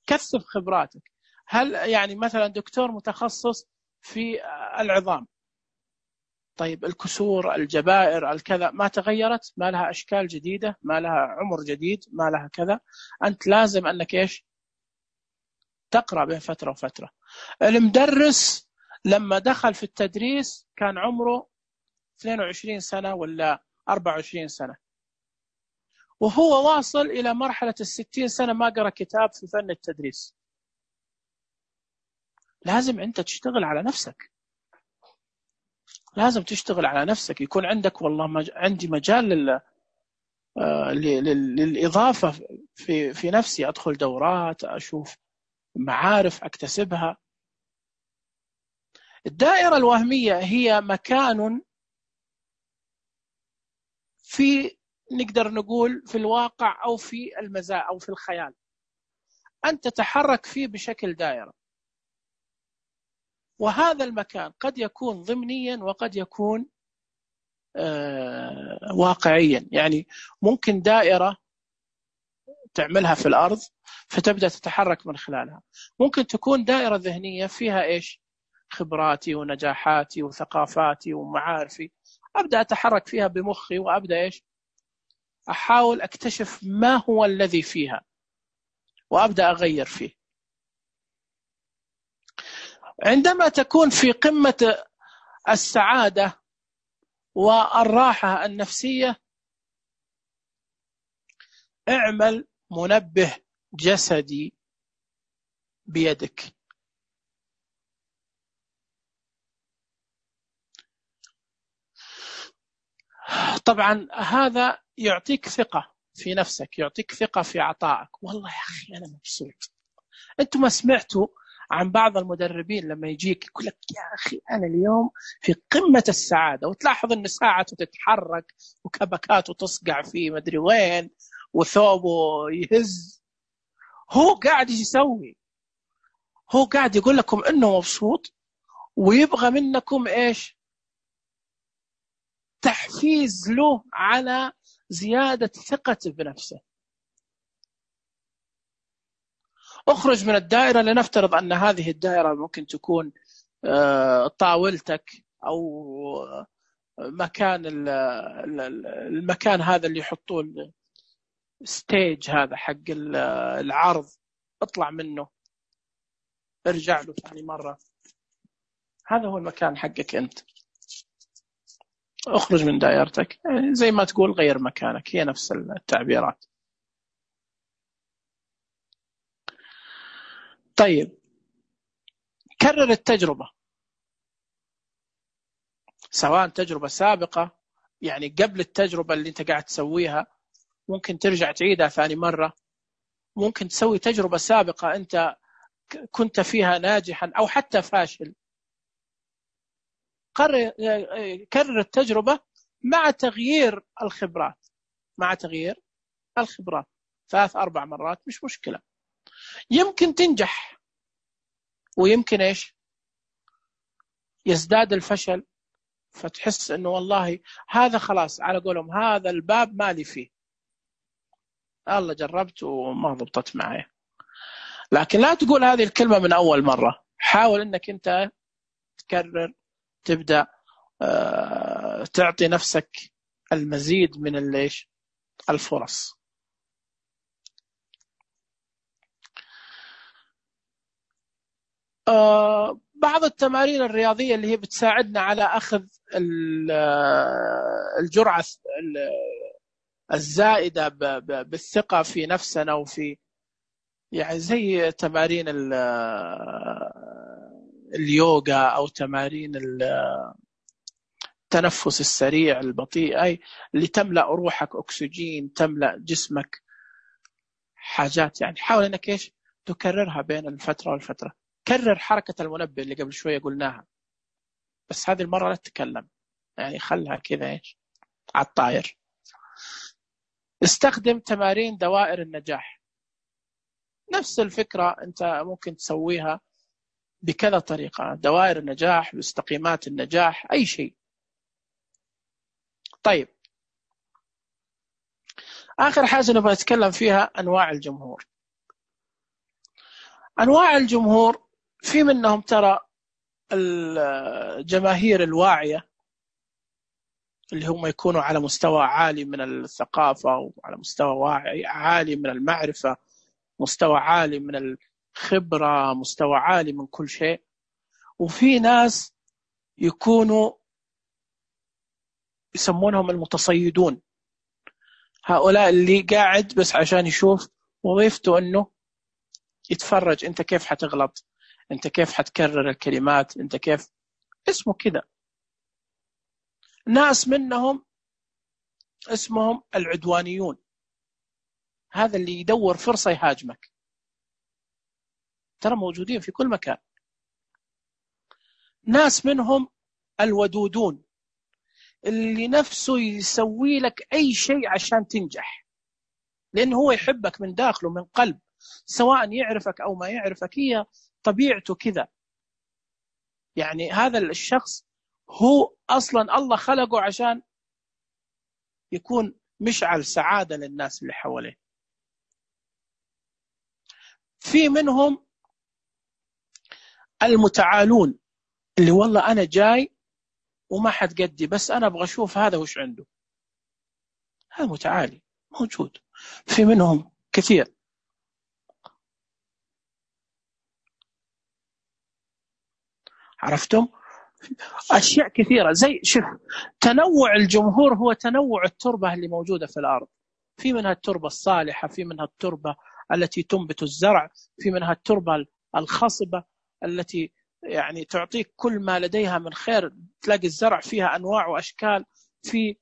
كثف خبراتك؟ هل يعني مثلا دكتور متخصص في العظام، طيب الكسور، الجبائر، الكذا ما تغيرت؟ ما لها أشكال جديدة؟ ما لها عمر جديد؟ ما لها كذا؟ أنت لازم أنك إيش؟ تقرأ بين فترة وفترة. المدرس لما دخل في التدريس كان عمره 22 سنة ولا 24 سنة، وهو واصل إلى مرحلة 60 سنة ما قرأ كتاب في فن التدريس. لازم أنت تشتغل على نفسك، لازم تشتغل على نفسك، يكون عندك والله عندي مجال للإضافة في نفسي، أدخل دورات، أشوف معارف أكتسبها. الدائرة الوهمية هي مكان في، نقدر نقول في الواقع أو في المزاج أو في الخيال، أنت تتحرك فيه بشكل دائرة، وهذا المكان قد يكون ضمنيا وقد يكون واقعيا. يعني ممكن دائرة تعملها في الأرض فتبدأ تتحرك من خلالها، ممكن تكون دائرة ذهنية فيها إيش؟ خبراتي ونجاحاتي وثقافاتي ومعارفي، أبدأ أتحرك فيها بمخي وأبدأ إيش؟ أحاول أكتشف ما هو الذي فيها وأبدأ أغير فيه. عندما تكون في قمة السعادة والراحة النفسية، اعمل منبه جسدي بيدك. طبعا هذا يعطيك ثقة في نفسك، يعطيك ثقة في عطائك. والله يا أخي أنا مبسوط. أنتم ما سمعتوا عن بعض المدربين لما يجيك يقول لك يا أخي أنا اليوم في قمة السعادة، وتلاحظ أن ساعته تتحرك وكبكاته تصقع فيه مدري وين وثوبه يهز، هو قاعد يسوي، هو قاعد يقول لكم أنه مبسوط ويبغى منكم إيش؟ تحفيز له على زيادة ثقته بنفسه. اخرج من الدائرة، لنفترض أن هذه الدائرة ممكن تكون طاولتك أو مكان المكان هذا اللي يحطوه ستيج هذا حق العرض، اطلع منه، ارجع له ثاني مرة، هذا هو المكان حقك أنت. اخرج من دائرتك، يعني زي ما تقول غير مكانك، هي نفس التعبيرات. طيب، كرر التجربة، سواء تجربة سابقة يعني قبل التجربة اللي انت قاعد تسويها ممكن ترجع تعيدها ثاني مرة، ممكن تسوي تجربة سابقة انت كنت فيها ناجحا او حتى فاشل. كرر التجربة مع تغيير الخبرات، مع تغيير الخبرات 3-4 مرات مش مشكلة. يمكن تنجح ويمكن ايش؟ يزداد الفشل، فتحس انه والله هذا خلاص على قولهم هذا الباب مالي فيه، الله جربت وما ضبطت معي. لكن لا تقول هذه الكلمة من أول مرة، حاول أنك أنت تكرر تبدأ تعطي نفسك المزيد من الفرص. بعض التمارين الرياضية اللي هي بتساعدنا على أخذ الجرعة الزائدة بالثقة في نفسنا وفي يعني زي تمارين اليوغا أو تمارين التنفس السريع البطيء، أي اللي تملأ روحك أكسجين، تملأ جسمك حاجات. يعني حاول أنك تكررها بين الفترة والفترة. كرر حركة المنبه اللي قبل شوية قلناها، بس هذه المرة لا تتكلم، يعني خلها كذا على الطاير. استخدم تمارين دوائر النجاح. نفس الفكرة أنت ممكن تسويها بكذا طريقة، دوائر النجاح، مستقيمات النجاح، أي شيء. طيب، آخر حاجة نبغى نتكلم فيها أنواع الجمهور. أنواع الجمهور في منهم ترى الجماهير الواعية اللي هم يكونوا على مستوى عالي من الثقافة وعلى مستوى عالي من المعرفة، مستوى عالي من الخبرة، مستوى عالي من كل شيء. وفي ناس يكونوا يسمونهم المتصيدون، هؤلاء اللي قاعد بس عشان يشوف وظيفته أنه يتفرج أنت كيف حتغلط، أنت كيف حتكرر الكلمات، أنت كيف، اسمه كده. ناس منهم اسمهم العدوانيون، هذا اللي يدور فرصة يهاجمك، ترى موجودين في كل مكان. ناس منهم الودودون، اللي نفسه يسوي لك أي شيء عشان تنجح، لأنه هو يحبك من داخله من قلب، سواء يعرفك أو ما يعرفك، هي طبيعته كذا. يعني هذا الشخص هو أصلا الله خلقه عشان يكون مشعل سعادة للناس اللي حواليه. في منهم المتعالون، اللي والله أنا جاي وما حد قدي، بس أنا أبغى أشوف هذا وش عنده. هذا متعالي موجود، في منهم كثير. عرفتم؟ أشياء كثيرة. زي شوف، تنوع الجمهور هو تنوع التربة اللي موجودة في الأرض. في منها التربة الصالحة، في منها التربة التي تنبت الزرع، في منها التربة الخصبة التي يعني تعطيك كل ما لديها من خير. تلاقي الزرع فيها أنواع وأشكال. في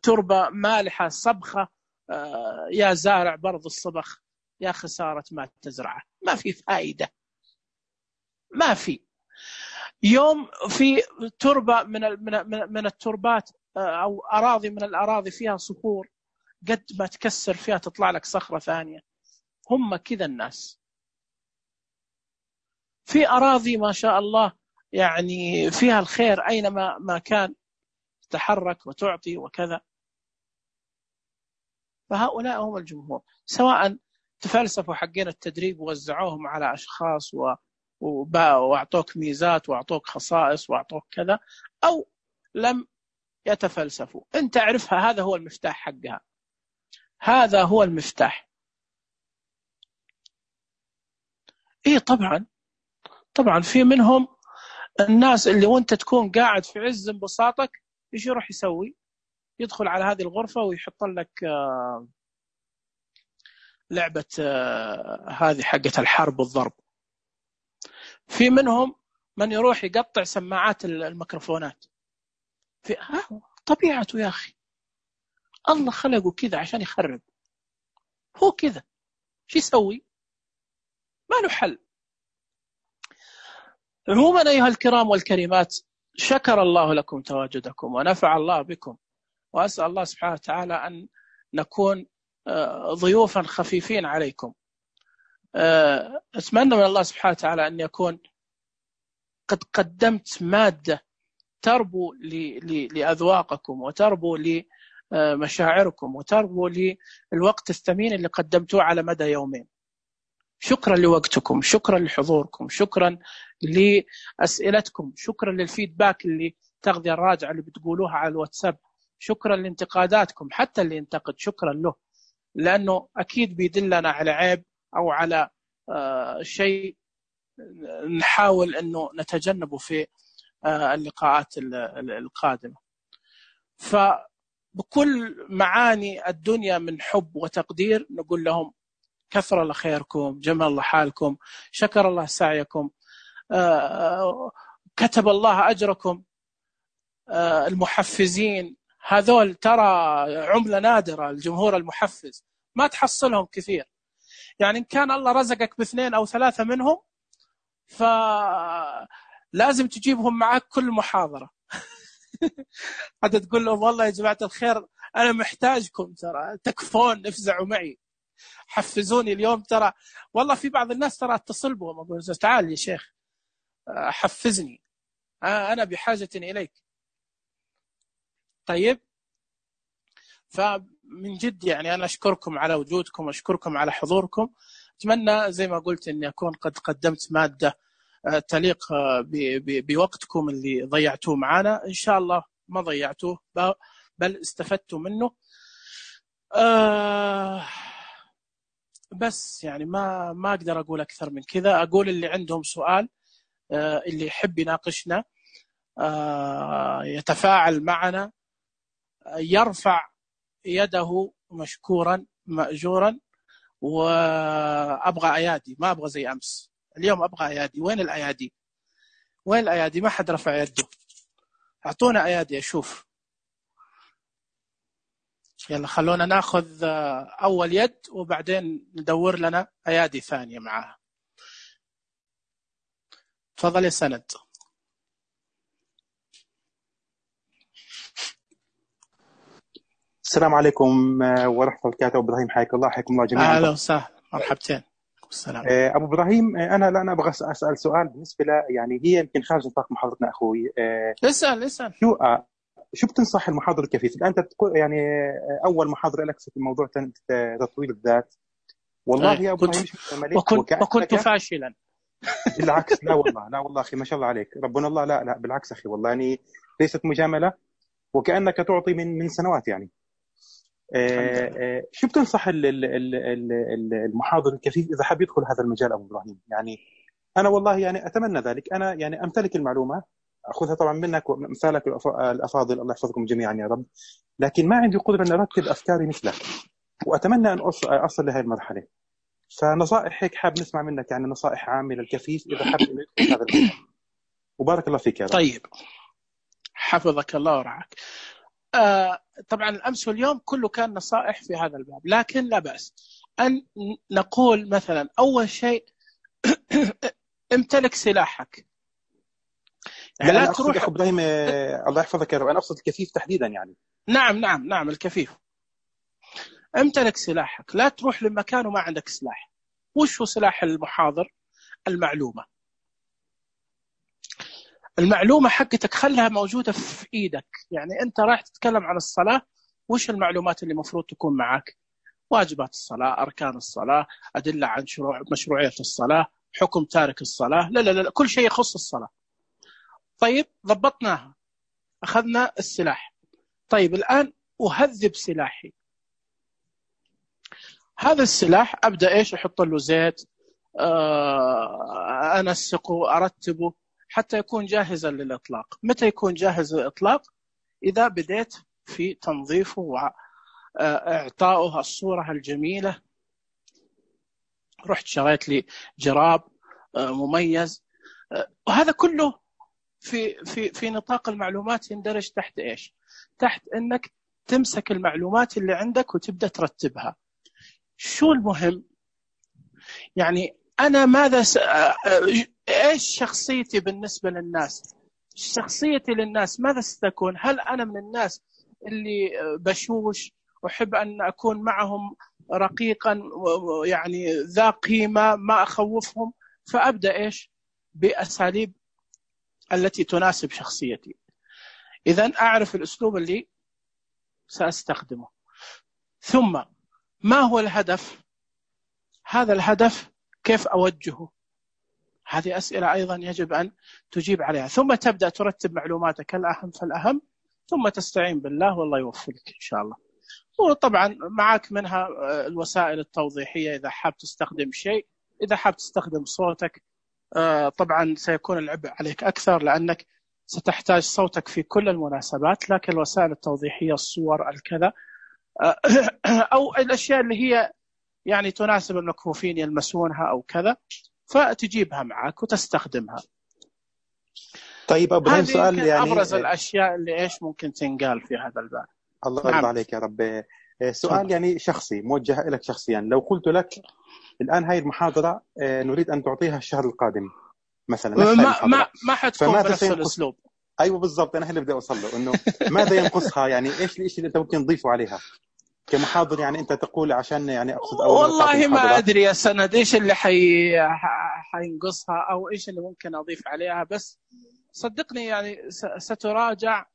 تربة مالحة صبخة، يا زارع برض الصبخ يا خسارة ما تزرعه، ما في فائدة، ما في. يوم في تربة من التربات أو أراضي من الأراضي فيها صخور، قد ما تكسر فيها تطلع لك صخرة ثانية. هم كذا الناس. في أراضي ما شاء الله يعني فيها الخير أينما ما كان، تحرك وتعطي وكذا. فهؤلاء هم الجمهور، سواء تفلسفوا حقين التدريب ووزعوهم على أشخاص وأعطوك ميزات وأعطوك خصائص وأعطوك كذا، أو لم يتفلسفوا. أنت تعرفها، هذا هو المفتاح حقها، هذا هو المفتاح. إيه طبعا في منهم الناس اللي وانت تكون قاعد في عز انبساطك، ايش يروح يسوي؟ يدخل على هذه الغرفة ويحط لك لعبة هذه حقة الحرب والضرب. في منهم من يروح يقطع سماعات الميكروفونات. في طبيعته يا أخي، الله خلقه كذا عشان يخرب، هو كذا، شو يسوي؟ ما له حل. عموما أيها الكرام والكريمات، شكر الله لكم تواجدكم ونفع الله بكم، وأسأل الله سبحانه وتعالى أن نكون ضيوفا خفيفين عليكم. أتمنى من الله سبحانه وتعالى أن يكون قد قدمت مادة تربو لأذواقكم وتربو لمشاعركم وتربو للوقت الثمين اللي قدمتوه على مدى يومين. شكرا لوقتكم، شكرا لحضوركم، شكرا لأسئلتكم، شكرا للفيدباك اللي تغذية الراجعة اللي بتقولوها على الواتساب، شكرا لانتقاداتكم، حتى اللي ينتقد شكرا له، لأنه أكيد بيدلنا على عيب أو على شيء نحاول أنه نتجنبه في اللقاءات القادمة. فبكل معاني الدنيا من حب وتقدير نقول لهم كثر الله خيركم، جمل الله حالكم، شكر الله سعيكم، كتب الله أجركم. المحفزين هذول ترى عملة نادرة، الجمهور المحفز ما تحصلهم كثير، يعني إن كان الله رزقك باثنين أو ثلاثة منهم فلازم تجيبهم معك كل محاضرة. حتى تقول لهم والله يا جماعة الخير أنا محتاجكم، ترى تكفون افزعوا معي، حفزوني اليوم. ترى والله في بعض الناس ترى اتصل بهم أقول تعال يا شيخ حفزني، أنا بحاجة إليك. طيب، فمن جد يعني أنا أشكركم على وجودكم، أشكركم على حضوركم. أتمنى زي ما قلت أني أكون قد قدمت مادة تليق بوقتكم اللي ضيعتوه معنا. إن شاء الله ما ضيعتوه بل استفدتوا منه. بس يعني ما أقدر أقول أكثر من كذا. أقول اللي عندهم سؤال، اللي يحب يناقشنا يتفاعل معنا يرفع يده مشكورا مأجورا. وأبغى أيادي، ما أبغى زي أمس، اليوم أبغى أيادي. وين الأيادي؟ وين الأيادي؟ ما حد رفع يده، أعطونا أيادي أشوف. يلا خلونا ناخذ أول يد وبعدين ندور لنا أيادي ثانية معها. تفضل يا سند. السلام عليكم ورحمة الله وبركاته. أبو إبراهيم حياك الله، حياكم الله جميعا. أهلا وسهلا، مرحبتين. السلام. أبو إبراهيم، أنا أبغى أسأل سؤال بالنسبة ل يعني هي يمكن خارج نطاق محاضرتنا أخوي. اسأل. شو بتنصح المحاضر الكفيف؟ أنت يعني أول محاضرة لك في موضوع تطوير الذات. والله يا أبو إبراهيم وكنت فاشلا. بالعكس، لا والله أخي ما شاء الله عليك، ربنا الله. لا بالعكس أخي، والله يعني ليست مجاملة، وكأنك تعطي من سنوات يعني. شو بتنصح المحاضر الكفيف إذا حاب يدخل هذا المجال أبو إبراهيم؟ يعني أنا والله يعني أتمنى ذلك، أنا يعني أمتلك المعلومة، أخذها طبعا منك ومثالك الأفاضل، الله يحفظكم جميعا يا رب، لكن ما عندي قدرة أن أرتب أفكاري مثلك، وأتمنى أن أصل لهذه المرحلة. فنصائح هيك حاب نسمع منك، يعني نصائح عامة للكفيف إذا حاب إنه يدخل هذا المجال. وبارك الله فيك يا رب. طيب، حفظك الله ورعاك. طبعا الأمس واليوم كله كان نصائح في هذا الباب، لكن لا بأس أن نقول مثلا أول شيء امتلك سلاحك. يعني لا تروح أخو إبراهيم، الله يحفظك يا رب، أنا أقصد الكفيف تحديدا يعني. نعم الكفيف. امتلك سلاحك، لا تروح لمكان وما عندك سلاح. وش هو سلاح المحاضر؟ المعلومة حقتك خلها موجودة في إيدك. يعني أنت راح تتكلم عن الصلاة، وش المعلومات اللي مفروض تكون معك؟ واجبات الصلاة، أركان الصلاة، أدلة عن مشروعية الصلاة، حكم تارك الصلاة، لا كل شيء يخص الصلاة. طيب، ضبطناها، أخذنا السلاح. طيب الآن أهذب سلاحي. هذا السلاح أبدأ أحط له زيت، أنسقه، أرتبه حتى يكون جاهزا للإطلاق. متى يكون جاهز للإطلاق؟ إذا بديت في تنظيفه وإعطائه الصورة الجميلة. رحت شريت لي جراب مميز، وهذا كله في نطاق المعلومات يندرج تحت إيش؟ تحت أنك تمسك المعلومات اللي عندك وتبدأ ترتبها. شو المهم؟ يعني أنا إيش شخصيتي بالنسبة للناس؟ شخصيتي للناس ماذا ستكون؟ هل أنا من الناس اللي بشوش أحب أن أكون معهم رقيقا، يعني ذا قيمة، ما أخوفهم؟ فأبدأ بأساليب التي تناسب شخصيتي. إذن أعرف الأسلوب اللي سأستخدمه. ثم ما هو الهدف؟ هذا الهدف كيف أوجهه؟ هذه أسئلة أيضا يجب أن تجيب عليها، ثم تبدأ ترتب معلوماتك الأهم فالأهم، ثم تستعين بالله والله يوفقك إن شاء الله. وطبعا معك منها الوسائل التوضيحية إذا حاب تستخدم شيء، إذا حاب تستخدم صوتك طبعا سيكون العبء عليك أكثر لأنك ستحتاج صوتك في كل المناسبات، لكن الوسائل التوضيحية الصور الكذا أو الأشياء اللي هي يعني تناسب المكفوفين يلمسونها أو كذا فتجيبها معك وتستخدمها. طيب أبو إبراهيم سؤال يعني أبرز الأشياء اللي إيش ممكن تنقال في هذا الباب. الله يرضى عليك يا رب. سؤال يعني شخصي موجه لك شخصيا، لو قلت لك الآن هاي المحاضرة نريد أن تعطيها الشهر القادم مثلا، ما حتكون بنفس الأسلوب. أيوة بالضبط، أنا اللي بدي أوصل له إنه ماذا ينقصها، يعني إيش الشيء اللي أنت ممكن تضيفه عليها كمحاضر، يعني أنت تقول عشان يعني أقصد والله ما أدري يا سند إيش اللي حينقصها أو إيش اللي ممكن أضيف عليها، بس صدقني يعني ستراجع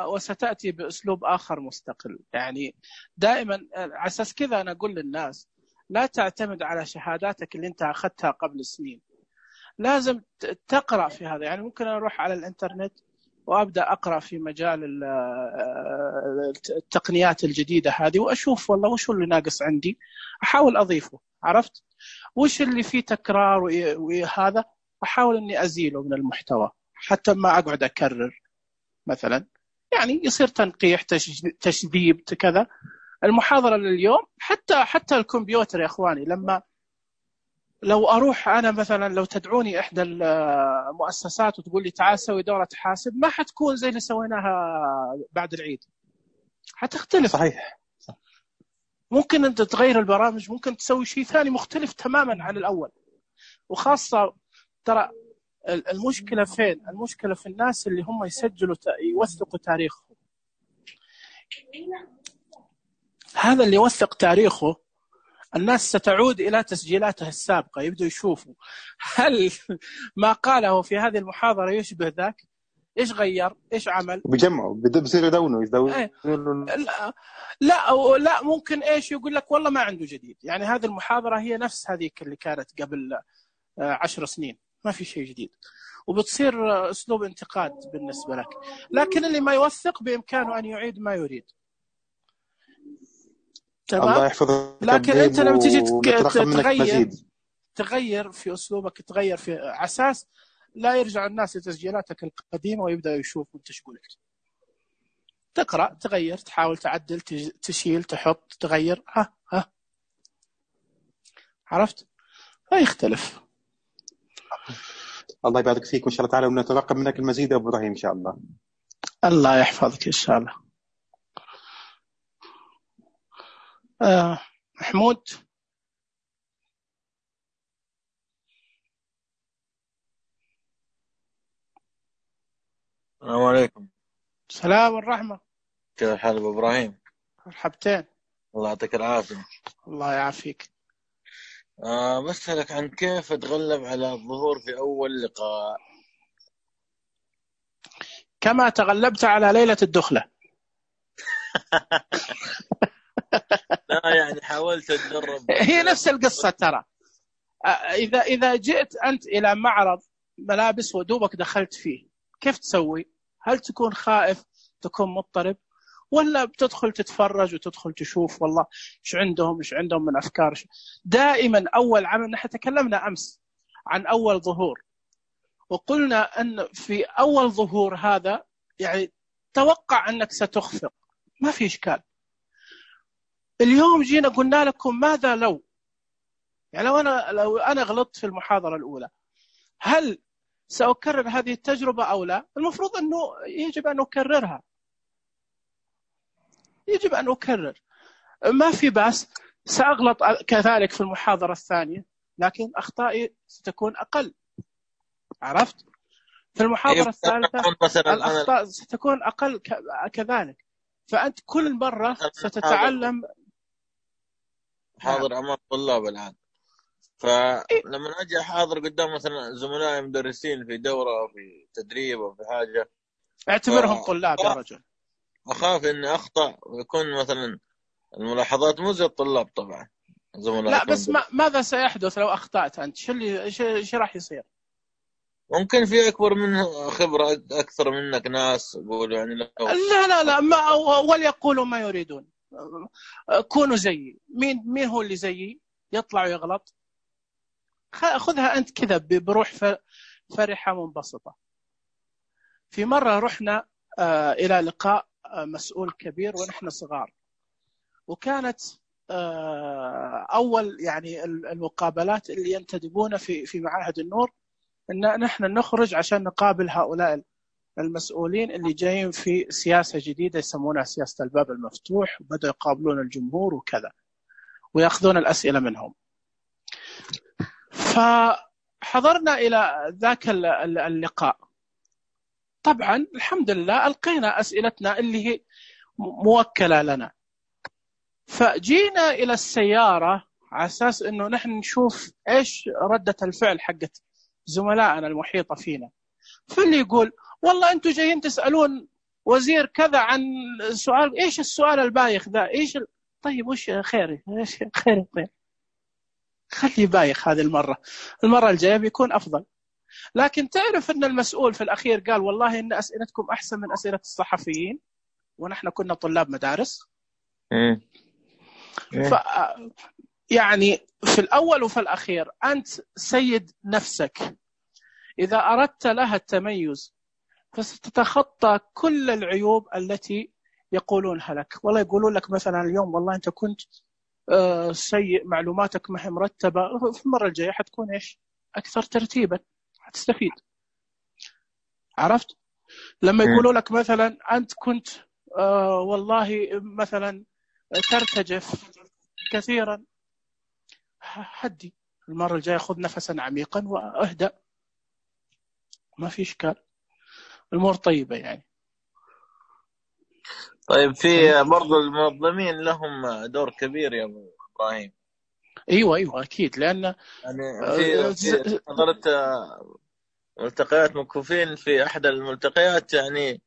وستأتي بأسلوب آخر مستقل. يعني دائما على أساس كذا أنا أقول للناس لا تعتمد على شهاداتك اللي أنت أخذتها قبل سنين، لازم تقرأ في هذا. يعني ممكن أروح على الإنترنت وأبدأ أقرأ في مجال التقنيات الجديدة هذه وأشوف والله وش اللي ناقص عندي، أحاول أضيفه، عرفت وش اللي فيه تكرار وهذا أحاول أني أزيله من المحتوى حتى ما أقعد أكرر مثلا، يعني يصير تنقيح تشذيب كذا. المحاضرة لليوم حتى الكمبيوتر يا أخواني، لو أروح أنا مثلا لو تدعوني إحدى المؤسسات وتقول لي تعال سوي دورة حاسب، ما حتكون زي اللي سويناها بعد العيد، حتختلف. صحيح. ممكن أنت تغير البرامج، ممكن تسوي شيء ثاني مختلف تماما عن الأول. وخاصة ترى المشكلة فين؟ المشكلة في الناس اللي هم يسجلوا يوثقوا تاريخهم. هذا اللي يوثق تاريخه الناس ستعود إلى تسجيلاته السابقة، يبدأ يشوفوا هل ما قاله في هذه المحاضرة يشبه ذاك، إيش غير، إيش عمل، بجمعوا بصير يدونوا لا ممكن إيش يقول لك والله ما عنده جديد، يعني هذه المحاضرة هي نفس هذيك اللي كانت قبل 10 سنين، ما في شيء جديد، وبتصير أسلوب انتقاد بالنسبة لك. لكن اللي ما يوثق بإمكانه أن يعيد ما يريد. الله يحفظك. لكن أنت لما تيجي تغير في أسلوبك، تغير في أساس لا يرجع الناس لتسجيلاتك القديمة ويبدأ يشوف أنت إيش قلت. تقرأ، تغير، تحاول تعدل، تشيل، تحط، تغير، عرفت؟ فيختلف. الله يبارك فيك وإن شاء الله تعالى، ونترقب منك المزيد يا أبو إبراهيم إن شاء الله. الله يحفظك إن شاء الله. محمود. السلام عليكم. السلام والرحمة. كيف الحال أبو إبراهيم؟ مرحبتين. الله يعطيك العافية. الله يعافيك. بسألك عن كيف أتغلب على الظهور في أول لقاء. كما تغلبت على ليلة الدخلة. لا يعني حاولت أتدرب. هي نفس القصة ترى. إذا جئت أنت إلى معرض ملابس ودوبك دخلت فيه، كيف تسوي؟ هل تكون خائف، تكون مضطرب، ولا بتدخل تتفرج وتدخل تشوف والله إيش عندهم من أفكار؟ دائما أول عمل، نحن تكلمنا أمس عن أول ظهور وقلنا أن في أول ظهور هذا يعني توقع أنك ستخفق، ما في إشكال. اليوم جينا قلنا لكم ماذا لو، يعني لو أنا غلطت في المحاضرة الأولى، هل سأكرر هذه التجربة أو لا؟ المفروض أنه يجب أن أكررها، يجب أن أكرر، ما في بأس. سأغلط كذلك في المحاضرة الثانية، لكن أخطائي ستكون أقل، عرفت؟ في المحاضرة الثالثة الأخطاء ستكون أقل كذلك. فأنت كل مرة ستتعلم. حاضر أمام طلاب الآن، فلما أجي أحاضر قدام مثلا زملائي مدرسين في دورة أو في تدريب أو في حاجة، اعتبرهم طلاب يا رجل. أخاف إني أخطأ ويكون مثلا الملاحظات مو زي الطلاب طبعا. لا بس ماذا سيحدث لو أخطأت أنت؟ شو راح يصير؟ ممكن في أكبر منه خبرة أكثر منك ناس يقولوا يعني لا ما وليقولوا ما يريدون. كونوا زيي. مين هو اللي زيي يطلع ويغلط؟ خذها أنت كذا بروح فرحة منبسطة. في مرة رحنا إلى لقاء مسؤول كبير ونحن صغار، وكانت أول يعني المقابلات اللي ينتدبون في معاهد النور، إن نحن نخرج عشان نقابل هؤلاء المسؤولين اللي جايين في سياسة جديدة يسمونها سياسة الباب المفتوح، وبدأوا يقابلون الجمهور وكذا ويأخذون الأسئلة منهم. فحضرنا إلى ذاك اللقاء. طبعا الحمد لله ألقينا أسئلتنا اللي هي موكلة لنا، فجينا إلى السيارة على أساس أنه نحن نشوف إيش ردة الفعل حقت زملائنا المحيطة فينا. فاللي يقول والله أنتم جايين تسألون وزير كذا عن سؤال، إيش السؤال البايخ ذا؟ طيب وش خير؟ إيش خير؟ خلي بايخ هذه المرة الجاية بيكون أفضل. لكن تعرف أن المسؤول في الأخير قال والله إن أسئلتكم أحسن من أسئلة الصحفيين، ونحن كنا طلاب مدارس. يعني في الأول وفي الأخير أنت سيد نفسك. إذا أردت لها التميز فستتخطى كل العيوب التي يقولونها لك. والله يقولون لك مثلا اليوم والله أنت كنت سيء، معلوماتك ما هي مرتبة، في المرة الجاية حتكون إيش؟ أكثر ترتيبا، حتستفيد. عرفت؟ لما يقولوا لك مثلا أنت كنت والله مثلا ترتجف كثيرا، هدي المرة الجاية خذ نفسا عميقا واهدأ، ما في إشكال، الأمور طيبة يعني. طيب في برضو المنظمين لهم دور كبير يا أبو إبراهيم. أيوة أكيد، لأن يعني في حضرت ملتقيات مكفوفين، في أحد الملتقيات يعني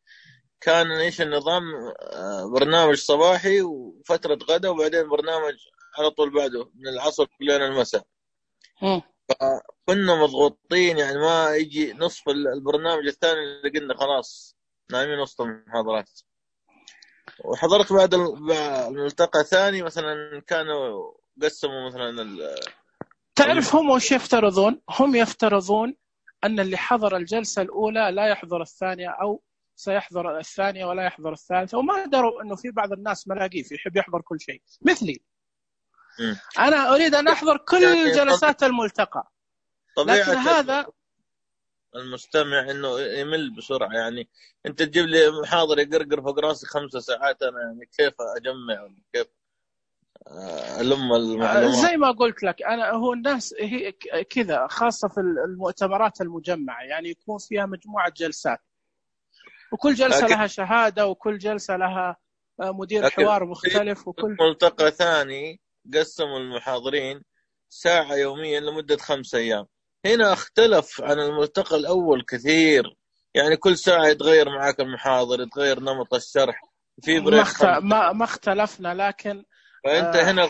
كان إيش النظام، برنامج صباحي وفترة غدا وبعدين برنامج على طول بعده من العصر لين المساء. فكنا مضغوطين يعني ما يجي نصف البرنامج الثاني اللي قلنا خلاص نايمين وسط المحاضرات. وحضرت بعد الملتقى الثاني مثلا كانوا قسموا مثلا تعرف هم وش يفترضون؟ هم يفترضون أن اللي حضر الجلسة الأولى لا يحضر الثانية، أو سيحضر الثانية ولا يحضر الثالثة، وما دروا أنه في بعض الناس ملاقيه يحب يحضر كل شيء مثلي. أنا أريد أن أحضر كل جلسات الملتقى، لكن هذا المستمع إنه يمل بسرعة. يعني أنت تجيب لي محاضر يقرقر فوق راسي 5 ساعات، أنا يعني كيف أجمع كيف ألم المعلومات؟ زي ما قلت لك أنا، هو الناس هي كذا، خاصة في المؤتمرات المجمعة، يعني يكون فيها مجموعة جلسات، وكل جلسة لها شهادة، وكل جلسة لها مدير حوار مختلف. وكل ملتقى ثاني قسموا المحاضرين ساعة يوميا لمدة 5 أيام. هنا اختلف عن الملتقى الأول كثير، يعني كل ساعة يتغير معاك المحاضر، يتغير نمط الشرح، في بريك. ما اختلفنا، لكن فأنت هنا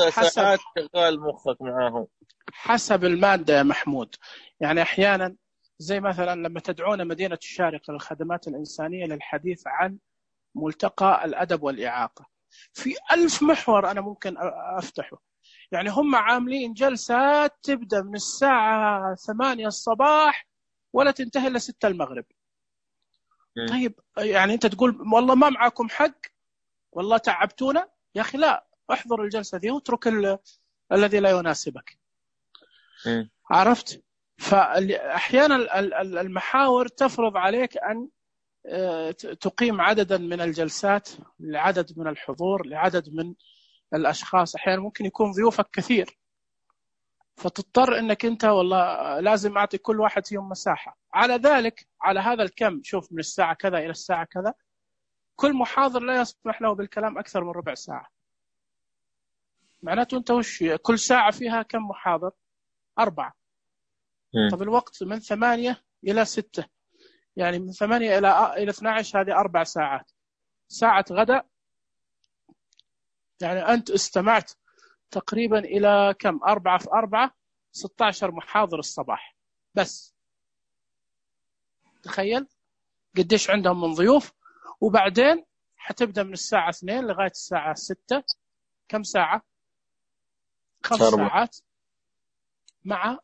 5 ساعات شغال مخك معاهم حسب المادة يا محمود. يعني أحيانا زي مثلا لما تدعون مدينة الشارقة للخدمات الإنسانية للحديث عن ملتقى الأدب والإعاقة، في 1000 محور أنا ممكن أفتحه. يعني هم عاملين جلسات تبدأ من الساعة 8 الصباح ولا تنتهي إلا 6 المغرب. طيب يعني أنت تقول والله ما معاكم حق، والله تعبتونا يا أخي. لا، احضر الجلسة دي واترك الذي لا يناسبك. عرفت؟ فأحيانا المحاور تفرض عليك أن تقيم عددا من الجلسات لعدد من الحضور، لعدد من الأشخاص. أحيانا ممكن يكون ضيوفك كثير، فتضطر أنك أنت والله لازم أعطي كل واحد فيهم مساحة. على ذلك على هذا الكم، شوف من الساعة كذا إلى الساعة كذا، كل محاضر لا يسمح له بالكلام أكثر من ربع ساعة. معناته أنت وش كل ساعة فيها كم محاضر؟ 4. طب الوقت من 8 إلى 6، يعني من 8 إلى 12، هذه 4 ساعات. ساعة غدا، يعني أنت استمعت تقريبا إلى كم 4 في 4 16 محاضر الصباح بس. تخيل قديش عندهم من ضيوف. وبعدين حتبدأ من الساعة 2 لغاية الساعة 6. كم ساعة؟ 5 ساعات مع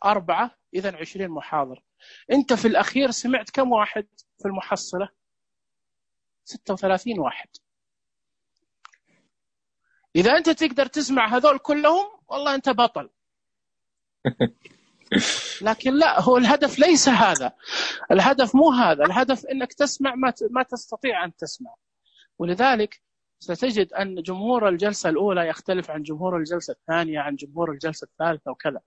4، إذن 20 محاضر. أنت في الأخير سمعت كم واحد في المحصلة؟ 36 واحد. إذا أنت تقدر تسمع هذول كلهم والله أنت بطل. لكن لا، هو الهدف ليس هذا. الهدف مو هذا. الهدف أنك تسمع ما تستطيع أن تسمع. ولذلك ستجد أن جمهور الجلسة الأولى يختلف عن جمهور الجلسة الثانية عن جمهور الجلسة الثالثة وكذا،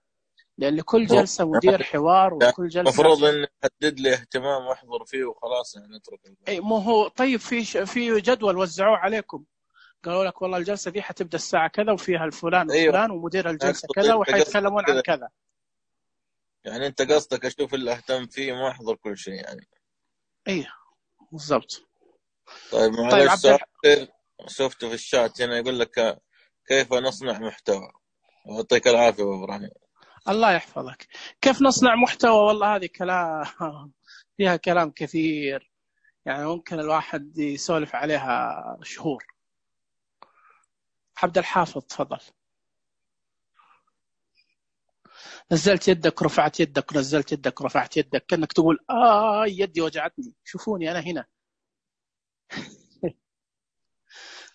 لأن لكل جلسة مدير حوار وكل جلسة المفروض أن يحدد لي اهتمام وأحضر فيه وخلاص يعني نترك أي مو هو. طيب في جدول وزعوه عليكم، قالوا لك والله الجلسة دي حتبدأ الساعة كذا وفيها الفلان وفلان ومدير الجلسة كذا وحيتكلمون عن كذا. يعني أنت قصدك أشوف اللي أهتم فيه ما أحضر كل شيء يعني. إيه بالضبط. طيب معلش شفته في الشات هنا يقول لك كيف نصنع محتوى. يعطيك العافية أبو إبراهيم. الله يحفظك. كيف نصنع محتوى؟ والله هذه كلام فيها كلام كثير، يعني ممكن الواحد يسولف عليها شهور. عبد الحافظ تفضل. نزلت يدك رفعت يدك، نزلت يدك رفعت يدك، كأنك تقول يدي وجعتني شوفوني أنا هنا.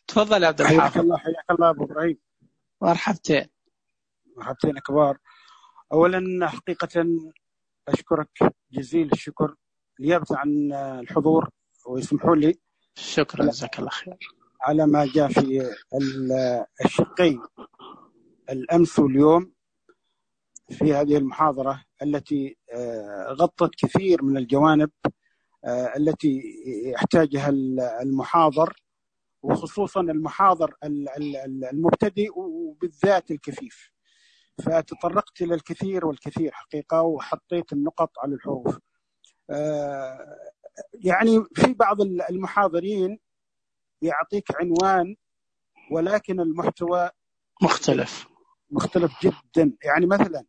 تفضل يا عبد الحافظ. حياك الله أبو إبراهيم. مرحبتين. مرحبتين كبار. أولا حقيقة أشكرك جزيل الشكر نيابة عن الحضور، ويسمحوا لي. شكرا جزاك الله خير على ما جاء في الشقين الأمس واليوم في هذه المحاضرة التي غطت كثير من الجوانب التي يحتاجها المحاضر، وخصوصا المحاضر المبتدئ وبالذات الكفيف. فتطرقت إلى الكثير والكثير حقيقة، وحطيت النقط على الحروف. يعني في بعض المحاضرين يعطيك عنوان ولكن المحتوى مختلف جدا. يعني مثلا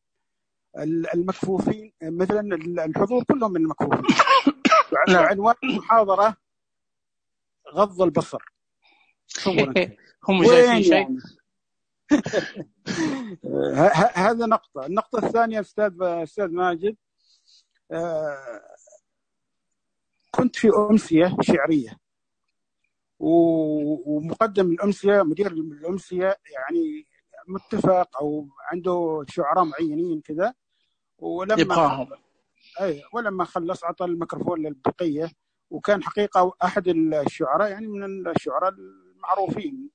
المكفوفين، مثلا الحضور كلهم من المكفوفين. عنوان المحاضرة غض البصر. هم شايفين شيء يعني. هذا نقطة. النقطة الثانية أستاذ ماجد، كنت في أمسية شعرية، ومقدم الأمسية مدير الأمسية يعني متفق أو عنده شعراء معينين كذا، ولما خلص عطى الميكروفون للبقية، وكان حقيقة أحد الشعراء يعني من الشعراء المعروفين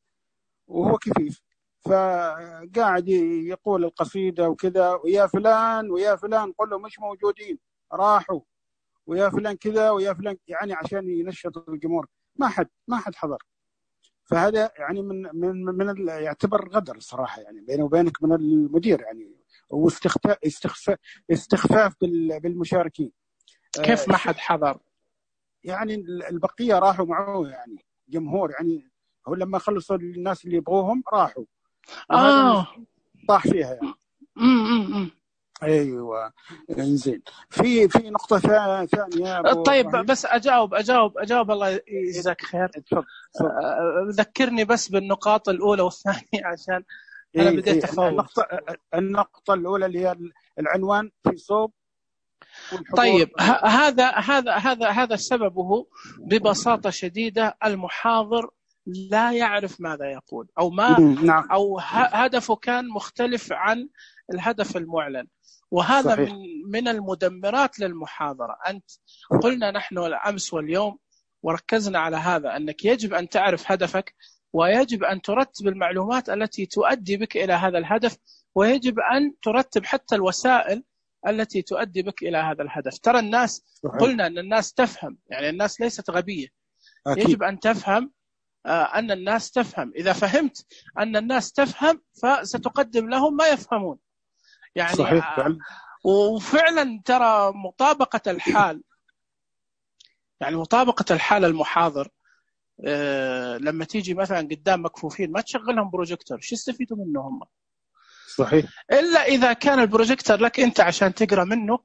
وهو كفيف، فقاعد يقول القصيدة وكذا، ويا فلان ويا فلان قل له مش موجودين راحوا، ويا فلان كذا ويا فلان، يعني عشان ينشط الجمهور. ما حد حضر. فهذا يعني من يعتبر غدر صراحة، يعني بينه وبينك من المدير يعني، واستخفاف بالمشاركين. كيف ما حد حضر؟ يعني البقية راحوا معه، يعني جمهور، يعني هو لما خلصوا الناس اللي يبغوهم راحوا. طاح فيها يعني. ايوه انزين. في نقطة ثانية. طيب بس اجاوب الله يجزاك خير. ذكرني بس بالنقاط الأولى والثانية عشان انا بديت افوت. النقطة الأولى اللي هي العنوان في صوب. طيب هذا سببه ببساطة شديدة من لا يعرف ماذا يقول أو هدفه كان مختلف عن الهدف المعلن، وهذا صحيح. من المدمرات للمحاضرة. أنت قلنا نحن الأمس واليوم وركزنا على هذا، أنك يجب أن تعرف هدفك، ويجب أن ترتب المعلومات التي تؤدي بك إلى هذا الهدف، ويجب أن ترتب حتى الوسائل التي تؤدي بك إلى هذا الهدف. ترى الناس صحيح. قلنا أن الناس تفهم، يعني الناس ليست غبية. أكيد. يجب أن تفهم أن الناس تفهم. إذا فهمت أن الناس تفهم فستقدم لهم ما يفهمون يعني. صحيح. وفعلا ترى مطابقة الحال المحاضر لما تيجي مثلا قدام مكفوفين ما تشغلهم بروجيكتور، شو يستفيدوا منه هم؟ صحيح. إلا إذا كان البروجيكتور لك أنت عشان تقرأ منه،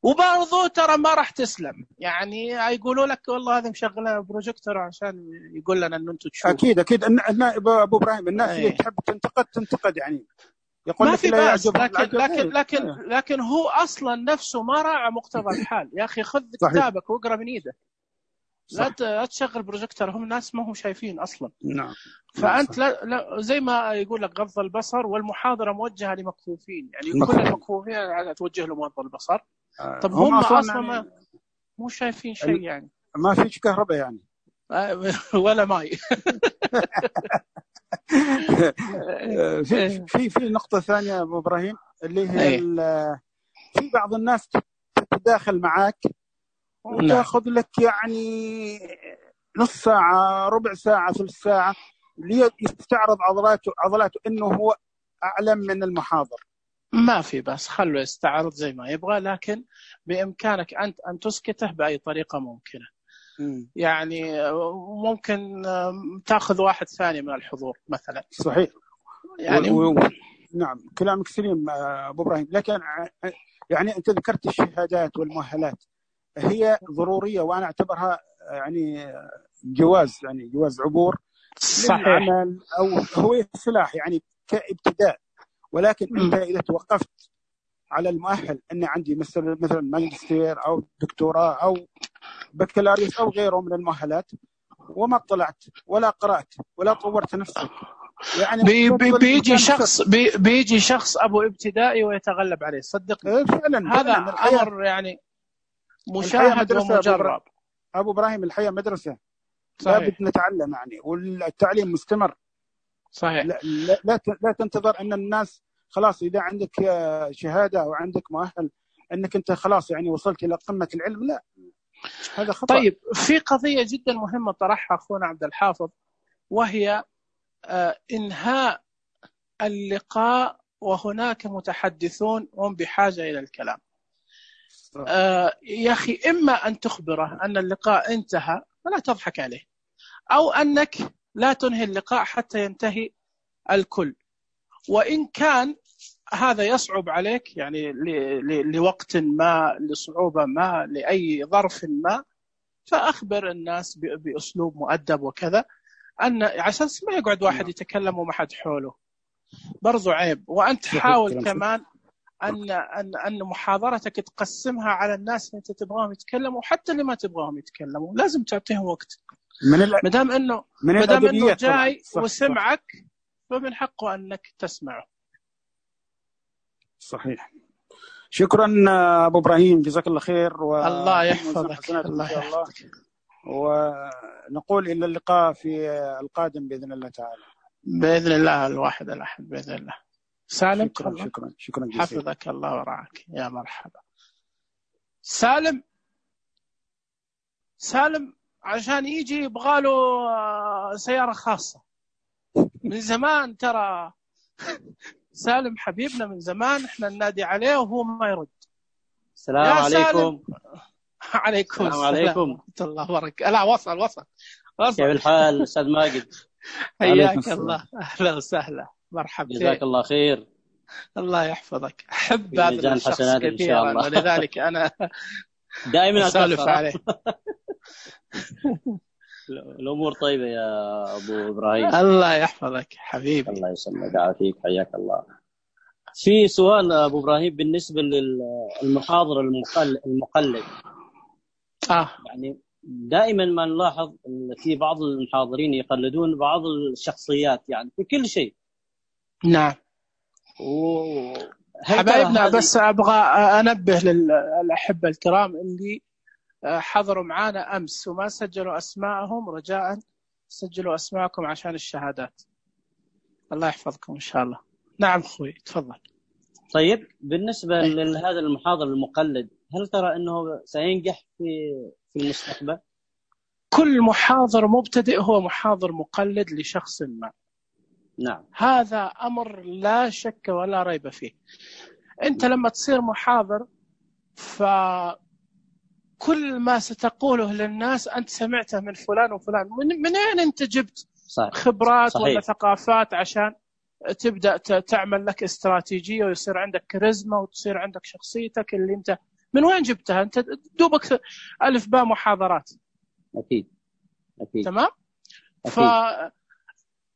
وبرضو ترى ما راح تسلم، يعني يقولوا لك والله هذا مشغلنا بروجيكتور عشان يقول لنا أنه أنتم تشوفوا. أكيد أبو إبراهيم الناس اللي تحب تنتقد يعني يقول ما لك في لا بأس، يعجب لكن هو أصلا نفسه ما راعى مقتضى الحال. يا أخي خذ كتابك واقرأ من إيدك، لا تشغل بروجيكتور، هم الناس ما هم شايفين أصلا. نعم. فأنت لا زي ما يقول لك غض البصر، والمحاضرة موجهة لمكفوفين، يعني كل المكفوفين توجه لهم غض البصر. طب هم أصلا يعني مو شايفين شيء، يعني ما فيش كهرباء يعني ولا ماي. في نقطة ثانية أبو إبراهيم، اللي هي في بعض الناس تتداخل معك وتأخذ لك يعني نص ساعة، ربع ساعة، ثلث ساعة، ليستعرض عضلاته إنه هو أعلم من المحاضر. ما في بس خلوا يستعرض زي ما يبغى، لكن بإمكانك أنت أن تسكته بأي طريقة ممكنة. يعني ممكن تأخذ واحد ثاني من الحضور مثلا. صحيح يعني نعم كلامك سليم أبو إبراهيم، لكن يعني أنت ذكرت الشهادات والمؤهلات، هي ضرورية وأنا أعتبرها يعني جواز عبور للعمل، أو هو سلاح يعني كابتداء. ولكن أنت إذا توقفت على المؤهل أن عندي مثلا ماجستير أو دكتوراه أو بكالوريوس أو غيره من المؤهلات، وما طلعت ولا قرأت ولا طورت نفسك، يعني بيجي شخص أبو ابتدائي ويتغلب عليه. صدقني فعلا هذا أمر يعني مشاهد ومجرب. أبو إبراهيم الحياة مدرسة، لابد نتعلم يعني، والتعليم مستمر. صحيح. لا تنتظر أن الناس خلاص إذا عندك شهادة أو عندك مؤهل أنك أنت خلاص يعني وصلت إلى قمة العلم، لا، هذا خطأ. طيب في قضية جدا مهمة طرحها أخونا عبد الحافظ، وهي إنهاء اللقاء وهناك متحدثون هم بحاجة إلى الكلام. يا أخي إما أن تخبره أن اللقاء انتهى فلا تضحك عليه، أو أنك لا تنهي اللقاء حتى ينتهي الكل. وإن كان هذا يصعب عليك يعني لوقت ما، لصعوبة ما، لأي ظرف ما، فأخبر الناس بأسلوب مؤدب وكذا، أن عشان ما يقعد واحد يتكلم وما حد حوله، برضو عيب. وأنت حاول كمان أن محاضرتك تقسمها على الناس اللي أنت تبغاهم يتكلموا، وحتى اللي ما تبغاهم يتكلموا لازم تعطيهم وقت. مدام إنه جاي وسمعك فمن حقه أنك تسمعه. صحيح. شكرا أبو إبراهيم، جزاك الله خير. الله يحفظك. الله يحفظك. ونقول إلى اللقاء في القادم بإذن الله تعالى. بإذن الله الواحد الأحد بإذن الله. سالم، شكرا جزيلا. حفظك الله ورعاك. يا مرحبا. سالم عشان يجي يبغاله سيارة خاصة من زمان، ترى سالم حبيبنا من زمان، احنا ننادي عليه وهو ما يرد. السلام عليكم. عليكم السلام عليكم. الله وبركاته. لا وصل. كيف الحال أستاذ ماجد؟ حياك الله، أهلا وسهلا، مرحبا. جزاك الله خير. الله يحفظك. أحب هذا الشخص كثيرا، ولذلك أنا دائما أسولف عليه. الأمور طيبة يا أبو إبراهيم. الله يحفظك حبيبي. الله يسلمك ويعافيك، حياك الله. في سؤال أبو إبراهيم بالنسبة للمحاضر المقلد. يعني دائما ما نلاحظ أن في بعض المحاضرين يقلدون بعض الشخصيات يعني في كل شيء. نعم. حبايبنا، بس أبغى أنبه للأحبة الكرام اللي حضروا معنا أمس وما سجلوا أسماءهم، رجاء سجلوا أسماءكم عشان الشهادات. الله يحفظكم إن شاء الله. نعم أخوي تفضل. طيب بالنسبة لهذا المحاضر المقلد، هل ترى أنه سينجح في المستقبل؟ كل محاضر مبتدئ هو محاضر مقلد لشخص ما. نعم. هذا أمر لا شك ولا ريب فيه. أنت لما تصير محاضر كل ما ستقوله للناس أنت سمعته من فلان وفلان. من أين أنت جبت خبرات ولا ثقافات عشان تبدأ تعمل لك استراتيجية ويصير عندك كاريزما وتصير عندك شخصيتك اللي أنت من وين جبتها؟ أنت دوبك ألف باء محاضرات. أكيد. تمام.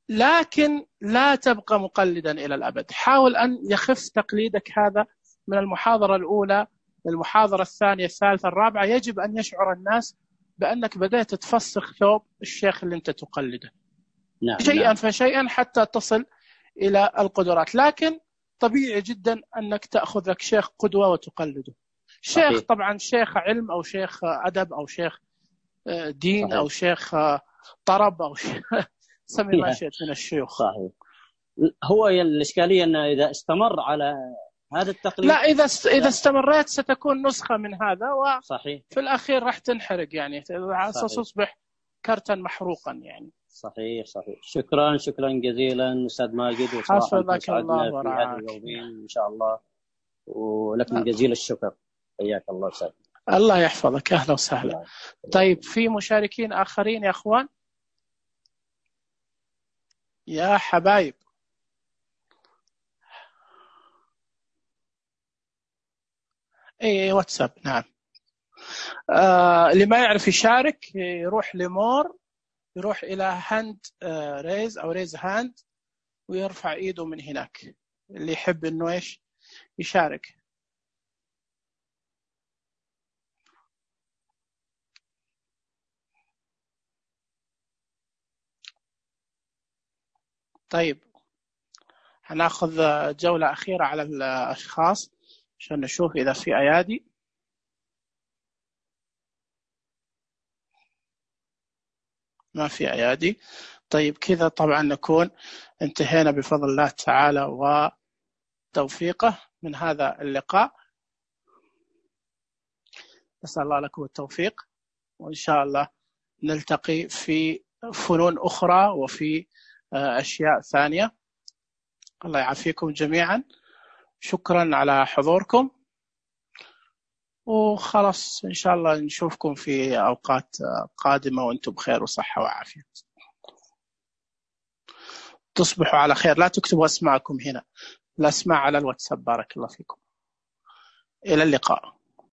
لكن لا تبقى مقلدا إلى الأبد. حاول أن يخف تقليدك هذا من المحاضرة الأولى للمحاضرة الثانية الثالثة الرابعة. يجب أن يشعر الناس بأنك بدأت تفسخ ثوب الشيخ اللي أنت تقلده. نعم. شيئا فشيئا حتى تصل إلى القدرات. لكن طبيعي جدا أنك تأخذ لك شيخ قدوة وتقلده. شيخ طبعا شيخ علم أو شيخ أدب أو شيخ دين أو شيخ طرب أو سمي ما شئت من الشيوخ. صحيح. هو الإشكالية أنه إذا استمر على هذا التقليد، لا إذا استمرت ستكون نسخة من هذا صحيح. في الأخير راح تنحرق يعني، ستصبح كرتا محروقا يعني. صحيح. شكرا جزيلا أستاذ ماجد، وصراحة سعدنا في هذه اليومين إن شاء الله، ولكم جزيل الشكر. حياك الله أستاذ. الله يحفظك. أهلا وسهلا. طيب في مشاركين آخرين يا أخوان يا حبايب؟ اي واتساب. نعم. اللي ما يعرف يشارك يروح لمور، يروح إلى هاند ريز أو ريز هاند ويرفع إيده من هناك، اللي يحب إنه إيش يشارك. طيب هناخذ جولة أخيرة على الأشخاص عشان نشوف إذا في أيادي. ما في أيادي. طيب كذا طبعا نكون انتهينا بفضل الله تعالى وتوفيقه من هذا اللقاء. نسأل الله لكم التوفيق، وإن شاء الله نلتقي في فنون أخرى وفي أشياء ثانية. الله يعافيكم جميعا. شكرا على حضوركم، وخلاص إن شاء الله نشوفكم في أوقات قادمة وأنتم بخير وصحة وعافية. تصبحوا على خير. لا تكتبوا أسماءكم هنا، الأسماء على الواتساب. بارك الله فيكم. إلى اللقاء.